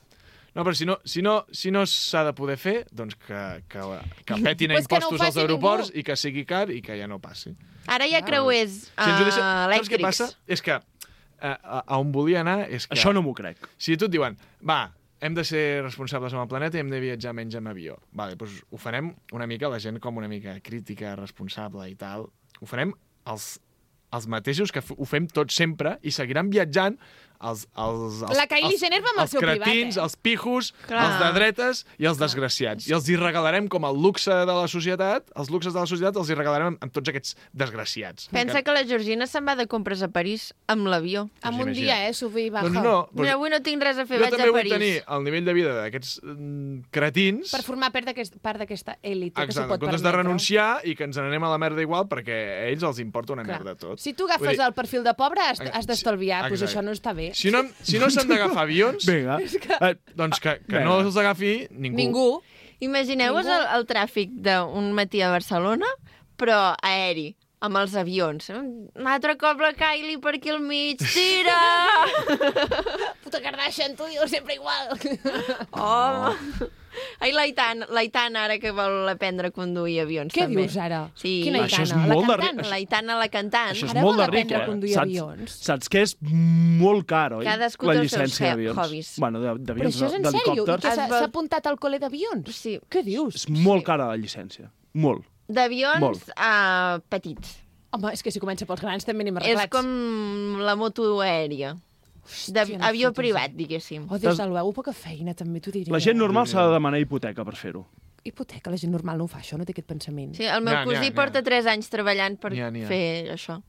No, però si no s'ha de poder fer, doncs que petin a Pues que no ho impostos als faci aeroports ningú. i que sigui car i que ja no passi. Ara hi ha creuers Saps què passa? elèctrics. És que a on volia anar és que... Això no m'ho crec. Si tu et diuen, va, hem de ser responsables amb el planeta i hem de viatjar menys amb avió. Vale, doncs ho farem una mica, la gent com una mica crítica, responsable i tal, ho farem els mateixos que ho fem tots sempre i seguiran viatjant La Kylie Jenner va amb el seu privat, cretins, els pijos, Clar. els de dretes i els desgraciats. I els hi regalarem com el luxe de la societat, els luxes de la societat els hi regalarem amb tots aquests desgraciats. Pensa que la Georgina se'n va de compres a París amb l'avió. Amb un dia, sube i baja. Doncs no, Mira, avui no tinc res a fer, jo vaig també a vull París. tenir el nivell de vida d'aquests cretins. Per formar part d'aquesta èlit que s'ho Exacte, pot en comptes de permetre. renunciar i que ens n'anem a la merda igual perquè a ells els importa una Clar. merda tot. Si tu agafes el perfil de pobre, has d'estalviar. Doncs això no està bé. Si no s'han d'agafar avions, Vinga. doncs que no els agafi ningú. Imagineu-vos el tràfic d'un matí a Barcelona, però aeri, amb els avions. Un altre cop la Kylie per aquí al mig. Tira! Puta Kardashian, tu dius sempre igual. Home! Ai, l'Aitana, ara que vol aprendre a conduir avions, Què també. dius ara? Sí. Quina Això és Aitana? molt La de cantant? L'Aitana, la cantant. Això és Ara molt vol de ric, aprendre a conduir avions. Saps que és molt car, oi? Cadascú la té els seus llicència d'avions. hobbies. Bueno, Però d'avions, això és en sèrio? I d'helicòpters. que s'ha apuntat al col·le d'avions? Sí. Què dius? És molt cara la llicència. Molt. D'avions Molt. petits. Home, és que si comença pels grans també anem És arreglats. com la moto aèria. Avió privat, diguéssim. Oh, des de l'UEU, poca feina, també t'ho diria. La gent normal s'ha de demanar hipoteca per fer-ho. Hipoteca, la gent normal no ho fa, això, no té aquest pensament. Sí, el meu cosí porta 3 anys treballant per fer això,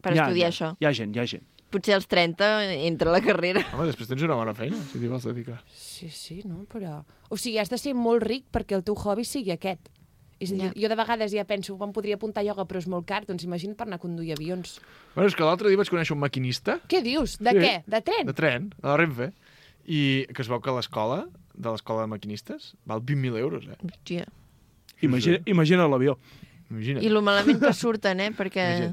per estudiar això. Hi ha gent. Potser als 30 entra a la carrera. Home, després tens una bona feina, si t'hi vols dedicar. Sí, no, però... O sigui, has de ser molt ric perquè el teu hobby sigui aquest. És a dir, jo de vegades ja penso, em podria apuntar a ioga, però és molt car, doncs imagina't per anar a conduir avions. Bueno, és que l'altre dia vaig conèixer un maquinista. Què dius? De què? De tren? De tren, a la Renfe. I que es veu que l'escola de maquinistes val 20.000 euros, eh? Hòstia. Imagina l'avió. Imagina't. I lo malament que surten, perquè...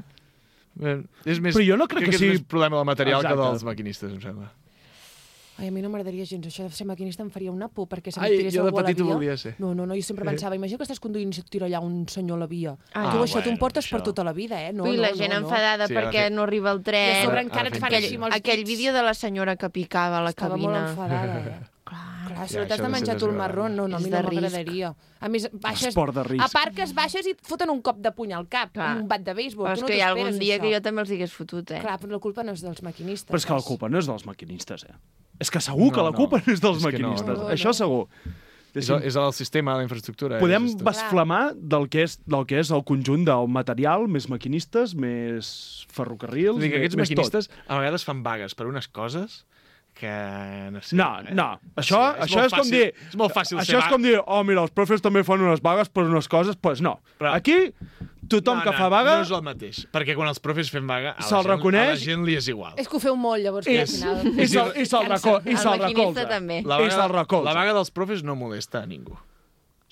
És més, però jo no crec que és sigui... més problema del material Exacte. que dels maquinistes, em sembla. Ai, a mi no m'agradaria gens. Això de ser maquinista em faria una por, perquè se Ai, tirés jo de algú a la petit ho via. volia ser. No, jo sempre pensava, imagina que estàs conduint i se't tira allà un senyor a la via. Ah, tu això t'ho bueno, portes per això. tota la vida, eh? No, Ui, la gent enfadada Sí, perquè ha de fer- no arriba el I a tren. sobre encara et fan així amb els Aquell dits. vídeo de la senyora que picava a la Estava molt cabina. enfadada, eh? Clar, si no això t'has de ha de menjar ser tu el desagradable. marrón, no, a És mi de no risc. m'agradaria. A més, baixes, Esport de risc. aparques, baixes i et foten un cop de puny al cap, Clar. un bat de béisbol. Però Tu és no que hi ha algun t'esperes, dia això. que jo també els hagués fotut, eh? Clar, però la culpa no és dels maquinistes. Però és que la culpa no és dels maquinistes, eh? És que segur que la culpa no és dels és que no, maquinistes. no. Això segur. És el sistema, la infraestructura. Podem basflamar del que és el conjunt del material, més maquinistes, més ferrocarrils, Vull dir que aquests més maquinistes a vegades fan vagues per unes coses que no sé. No. Això és com dir... És molt fàcil Això és com dir, mira, els profes també fan unes vagues per unes coses, doncs no. Però... Aquí, tothom que fa vaga... No és el mateix, perquè quan els profes fem vaga, a se'l reconeix... la gent li és igual. És que ho feu molt, llavors, que al final... I se'l recolza. La vaga dels profes no molesta a ningú.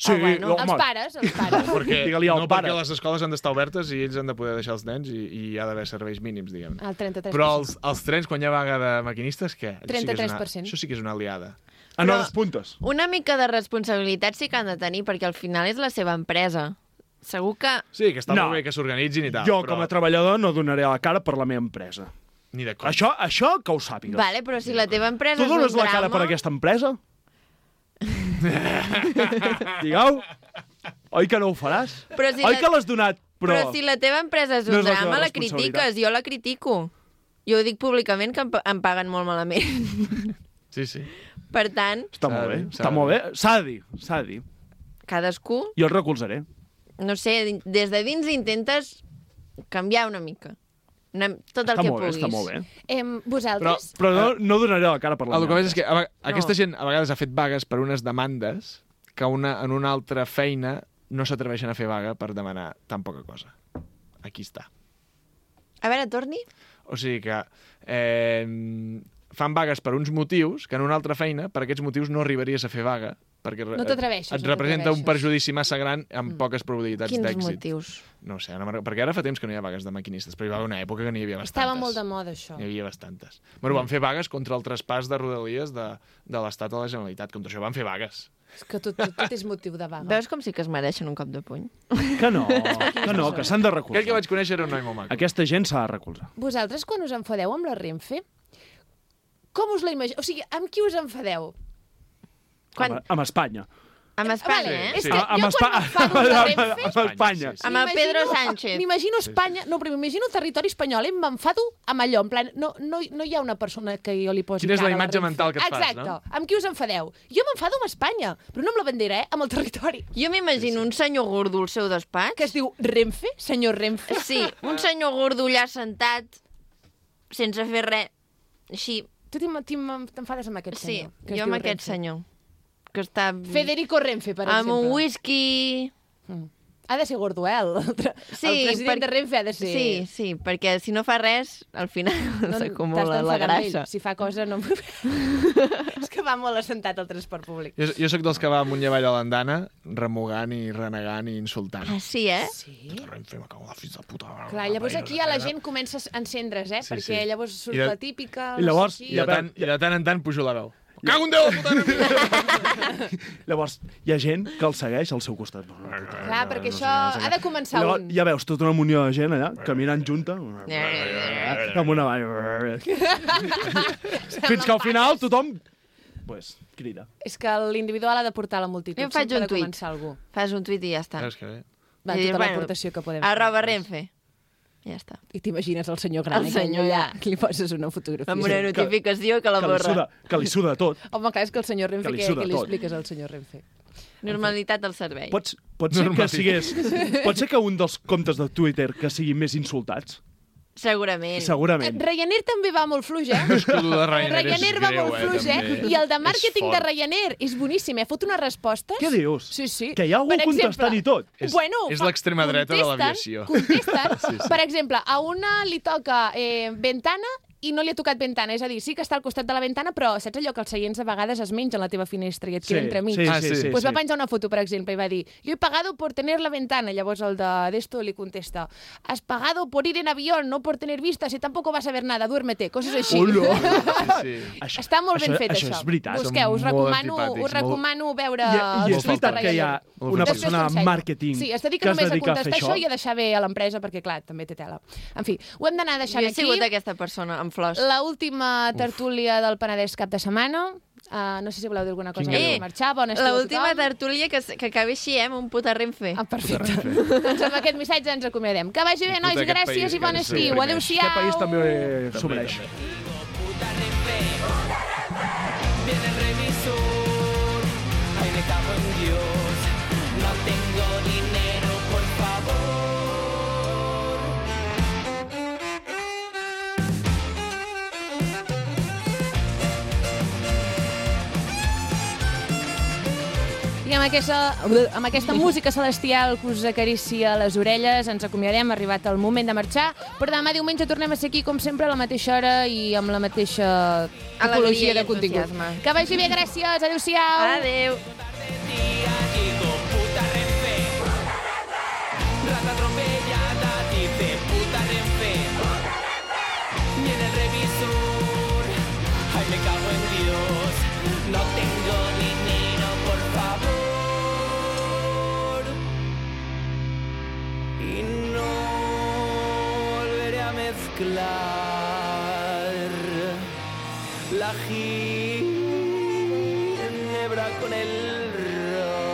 Sí, els pares. Perquè les escoles han d'estar obertes i ells han de poder deixar els nens i hi ha d'haver serveis mínims, diguem. El 33%. Però els trens, quan hi ha vaga de maquinistes, què? 33%. Això sí que és una aliada. En hores puntes. Una mica de responsabilitat sí que han de tenir, perquè al final és la seva empresa. Segur que... Sí, que està molt bé que s'organitzin i tal. Jo, com a treballador, no donaré la cara per la meva empresa. Ni de com. Això que ho sàpigues. Vale, però si la teva empresa és un drama... Tu dones la cara per aquesta empresa? Digueu? Oi que no ho faràs? Oi que l'has donat? Però si la teva empresa és un drama, la critiques. Jo la critico. Jo ho dic públicament que em paguen molt malament. Sí. Per tant... Està molt bé. S'ha de dir. Cadascú... Jo el recolzaré. No sé, des de dins intentes canviar una mica. Tot el que puguis. Està molt bé. Vosaltres? Però no donaré la cara per la meva. El que és que aquesta gent a vegades ha fet vagues per unes demandes que en una altra feina no s'atreveixen a fer vaga per demanar tan poca cosa. Aquí està. A veure, torni. O sigui que fan vagues per uns motius que en una altra feina, per aquests motius, no arribaries a fer vaga, perquè no t'atreveixes. Et representa un perjudici massa gran amb poques probabilitats d'èxit. Quins motius? No sé, perquè ara fa temps que no hi ha vagues de maquinistes, però hi va haver una època que n'hi havia bastantes. Estava molt de moda, això. N'hi havia bastantes. Bueno, van fer vagues contra el traspàs de Rodalies de l'Estat a la Generalitat. Contra això van fer vagues. És que tot és motiu de vaga. Veus com sí que es mereixen un cop de puny? Que no, que s'han de recolzar. Aquell que vaig conèixer era un noi molt maco. Aquesta gent s'ha de recolzar. Vosaltres, quan us enfadeu amb la Renfe, com us la imagineu? O sigui, amb qui us enfadeu? Amb Espanya. Amb Espanya, És que jo quan m'enfado amb la Renfe... Amb Espanya. Amb el Pedro Sánchez. M'imagino Espanya... No, però m'imagino el territori espanyol i m'enfado amb allò. En plan, no hi ha una persona que jo li posi cara a la Renfe. Quina és la imatge mental que et fas, no? Exacte. Amb qui us enfadeu? Jo m'enfado amb Espanya, però no amb la bandera, amb el territori. Jo m'imagino un senyor gordo al seu despatx. Que es diu Renfe? Senyor Renfe? Sí, un senyor gordo allà sentat, sense fer res. Així. Tu t'enfades amb aquest senyor? Sí, jo amb aquest senyor. Que està... Federico Renfe, per exemple. Amb un whisky... Ha de ser gordo, el president de Renfe ha de ser... Sí, perquè si no fa res, al final s'acumula la grassa. Si fa cosa, no... És que va molt assentat al transport públic. Jo sóc dels que va amunt i avall a l'andana, remugant i renegant i insultant. Ah, sí, eh? Sí. Renfe, me cago en la fills de puta. Clar, llavors aquí ja la gent comença a encendre's, perquè llavors surt la típica... I llavors, i de tant en tant pujo la veu. Cago en Déu, la puta! Llavors, hi ha gent que el segueix al seu costat. Clar, perquè això ha de començar un. Ja veus tota una munió de gent allà, caminant junta. Amb una vall. Fins que al final tothom crida. És que l'individual ha de portar la multitud. Jo faig un tuit. Fas un tuit i ja està. Veus que bé. Va, tota l'aportació que podem fer. @Renfe. Ja està. I t'imagines el senyor gran, allà, que li poses una fotografia. Amb una notificació que la borra. Que li suda tot. Home, clar, és que el senyor Renfe, què li expliques al senyor Renfe? Normalitat del servei. Pot ser que un dels comptes de Twitter que siguin més insultats? Segurament. Ryanair també va molt fluix, eh? Ryanair va molt fluix, eh? I el de màrqueting de Ryanair és boníssim, Fot unes respostes... Què dius? Sí. Que hi ha algú contestant i tot. És l'extrema dreta de l'aviació. Contesten. Per exemple, a una li toca ventana i no li ha tocat ventana. És a dir, sí que està al costat de la ventana, però saps allò que els seients a vegades es mengen la teva finestra i et queda entremig? Sí. Pues va penjar una foto, per exemple, i va dir: yo he pagado por tener la ventana. Llavors el d'esto li contesta: has pagado por ir en avión, no por tener vistas y tampoco vas a ver nada, duérmete. Coses així. Està molt ben fet, això. Això és veritat. Busqueu, us recomano veure... I és veritat que hi ha una persona de màrqueting que es dedica només a contestar això i a deixar bé a l'empresa, perquè, clar, també té tela. En fi, ho hem d'anar deixant aquí. Jo he sigut aquesta persona, amb flors. L'última tertúlia del Penedès cap de setmana. No sé si voleu dir alguna cosa per marxar. Bona estiu a tothom. L'última tertúlia que acabi així, amb un puta Renfe. Perfecte. Doncs amb aquest missatge ens acomiadem. Que vagi bé, nois, gràcies i bon estiu. Adéu-siau. Aquest país també s'ho mereix. Viene el revisor. me cago en Dios. No tengo dinero, por favor. I amb aquesta música celestial que us acaricia les orelles, ens acomiadarem, ha arribat el moment de marxar, però demà diumenge tornem a ser aquí, com sempre, a la mateixa hora i amb la mateixa tipologia de contingut. Que vagi bé, gràcies, adéu-siau. Adéu. Rata atropellada, dice puta Renfe. Y en el revisor, ay, me cago en Dios. No tengo dinero, por favor. Y no volveré a mezclar la ginebra con el ron.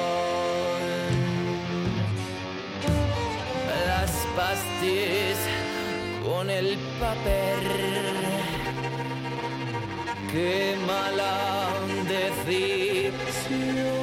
Las pastillas con el papel. Qué mala decisión.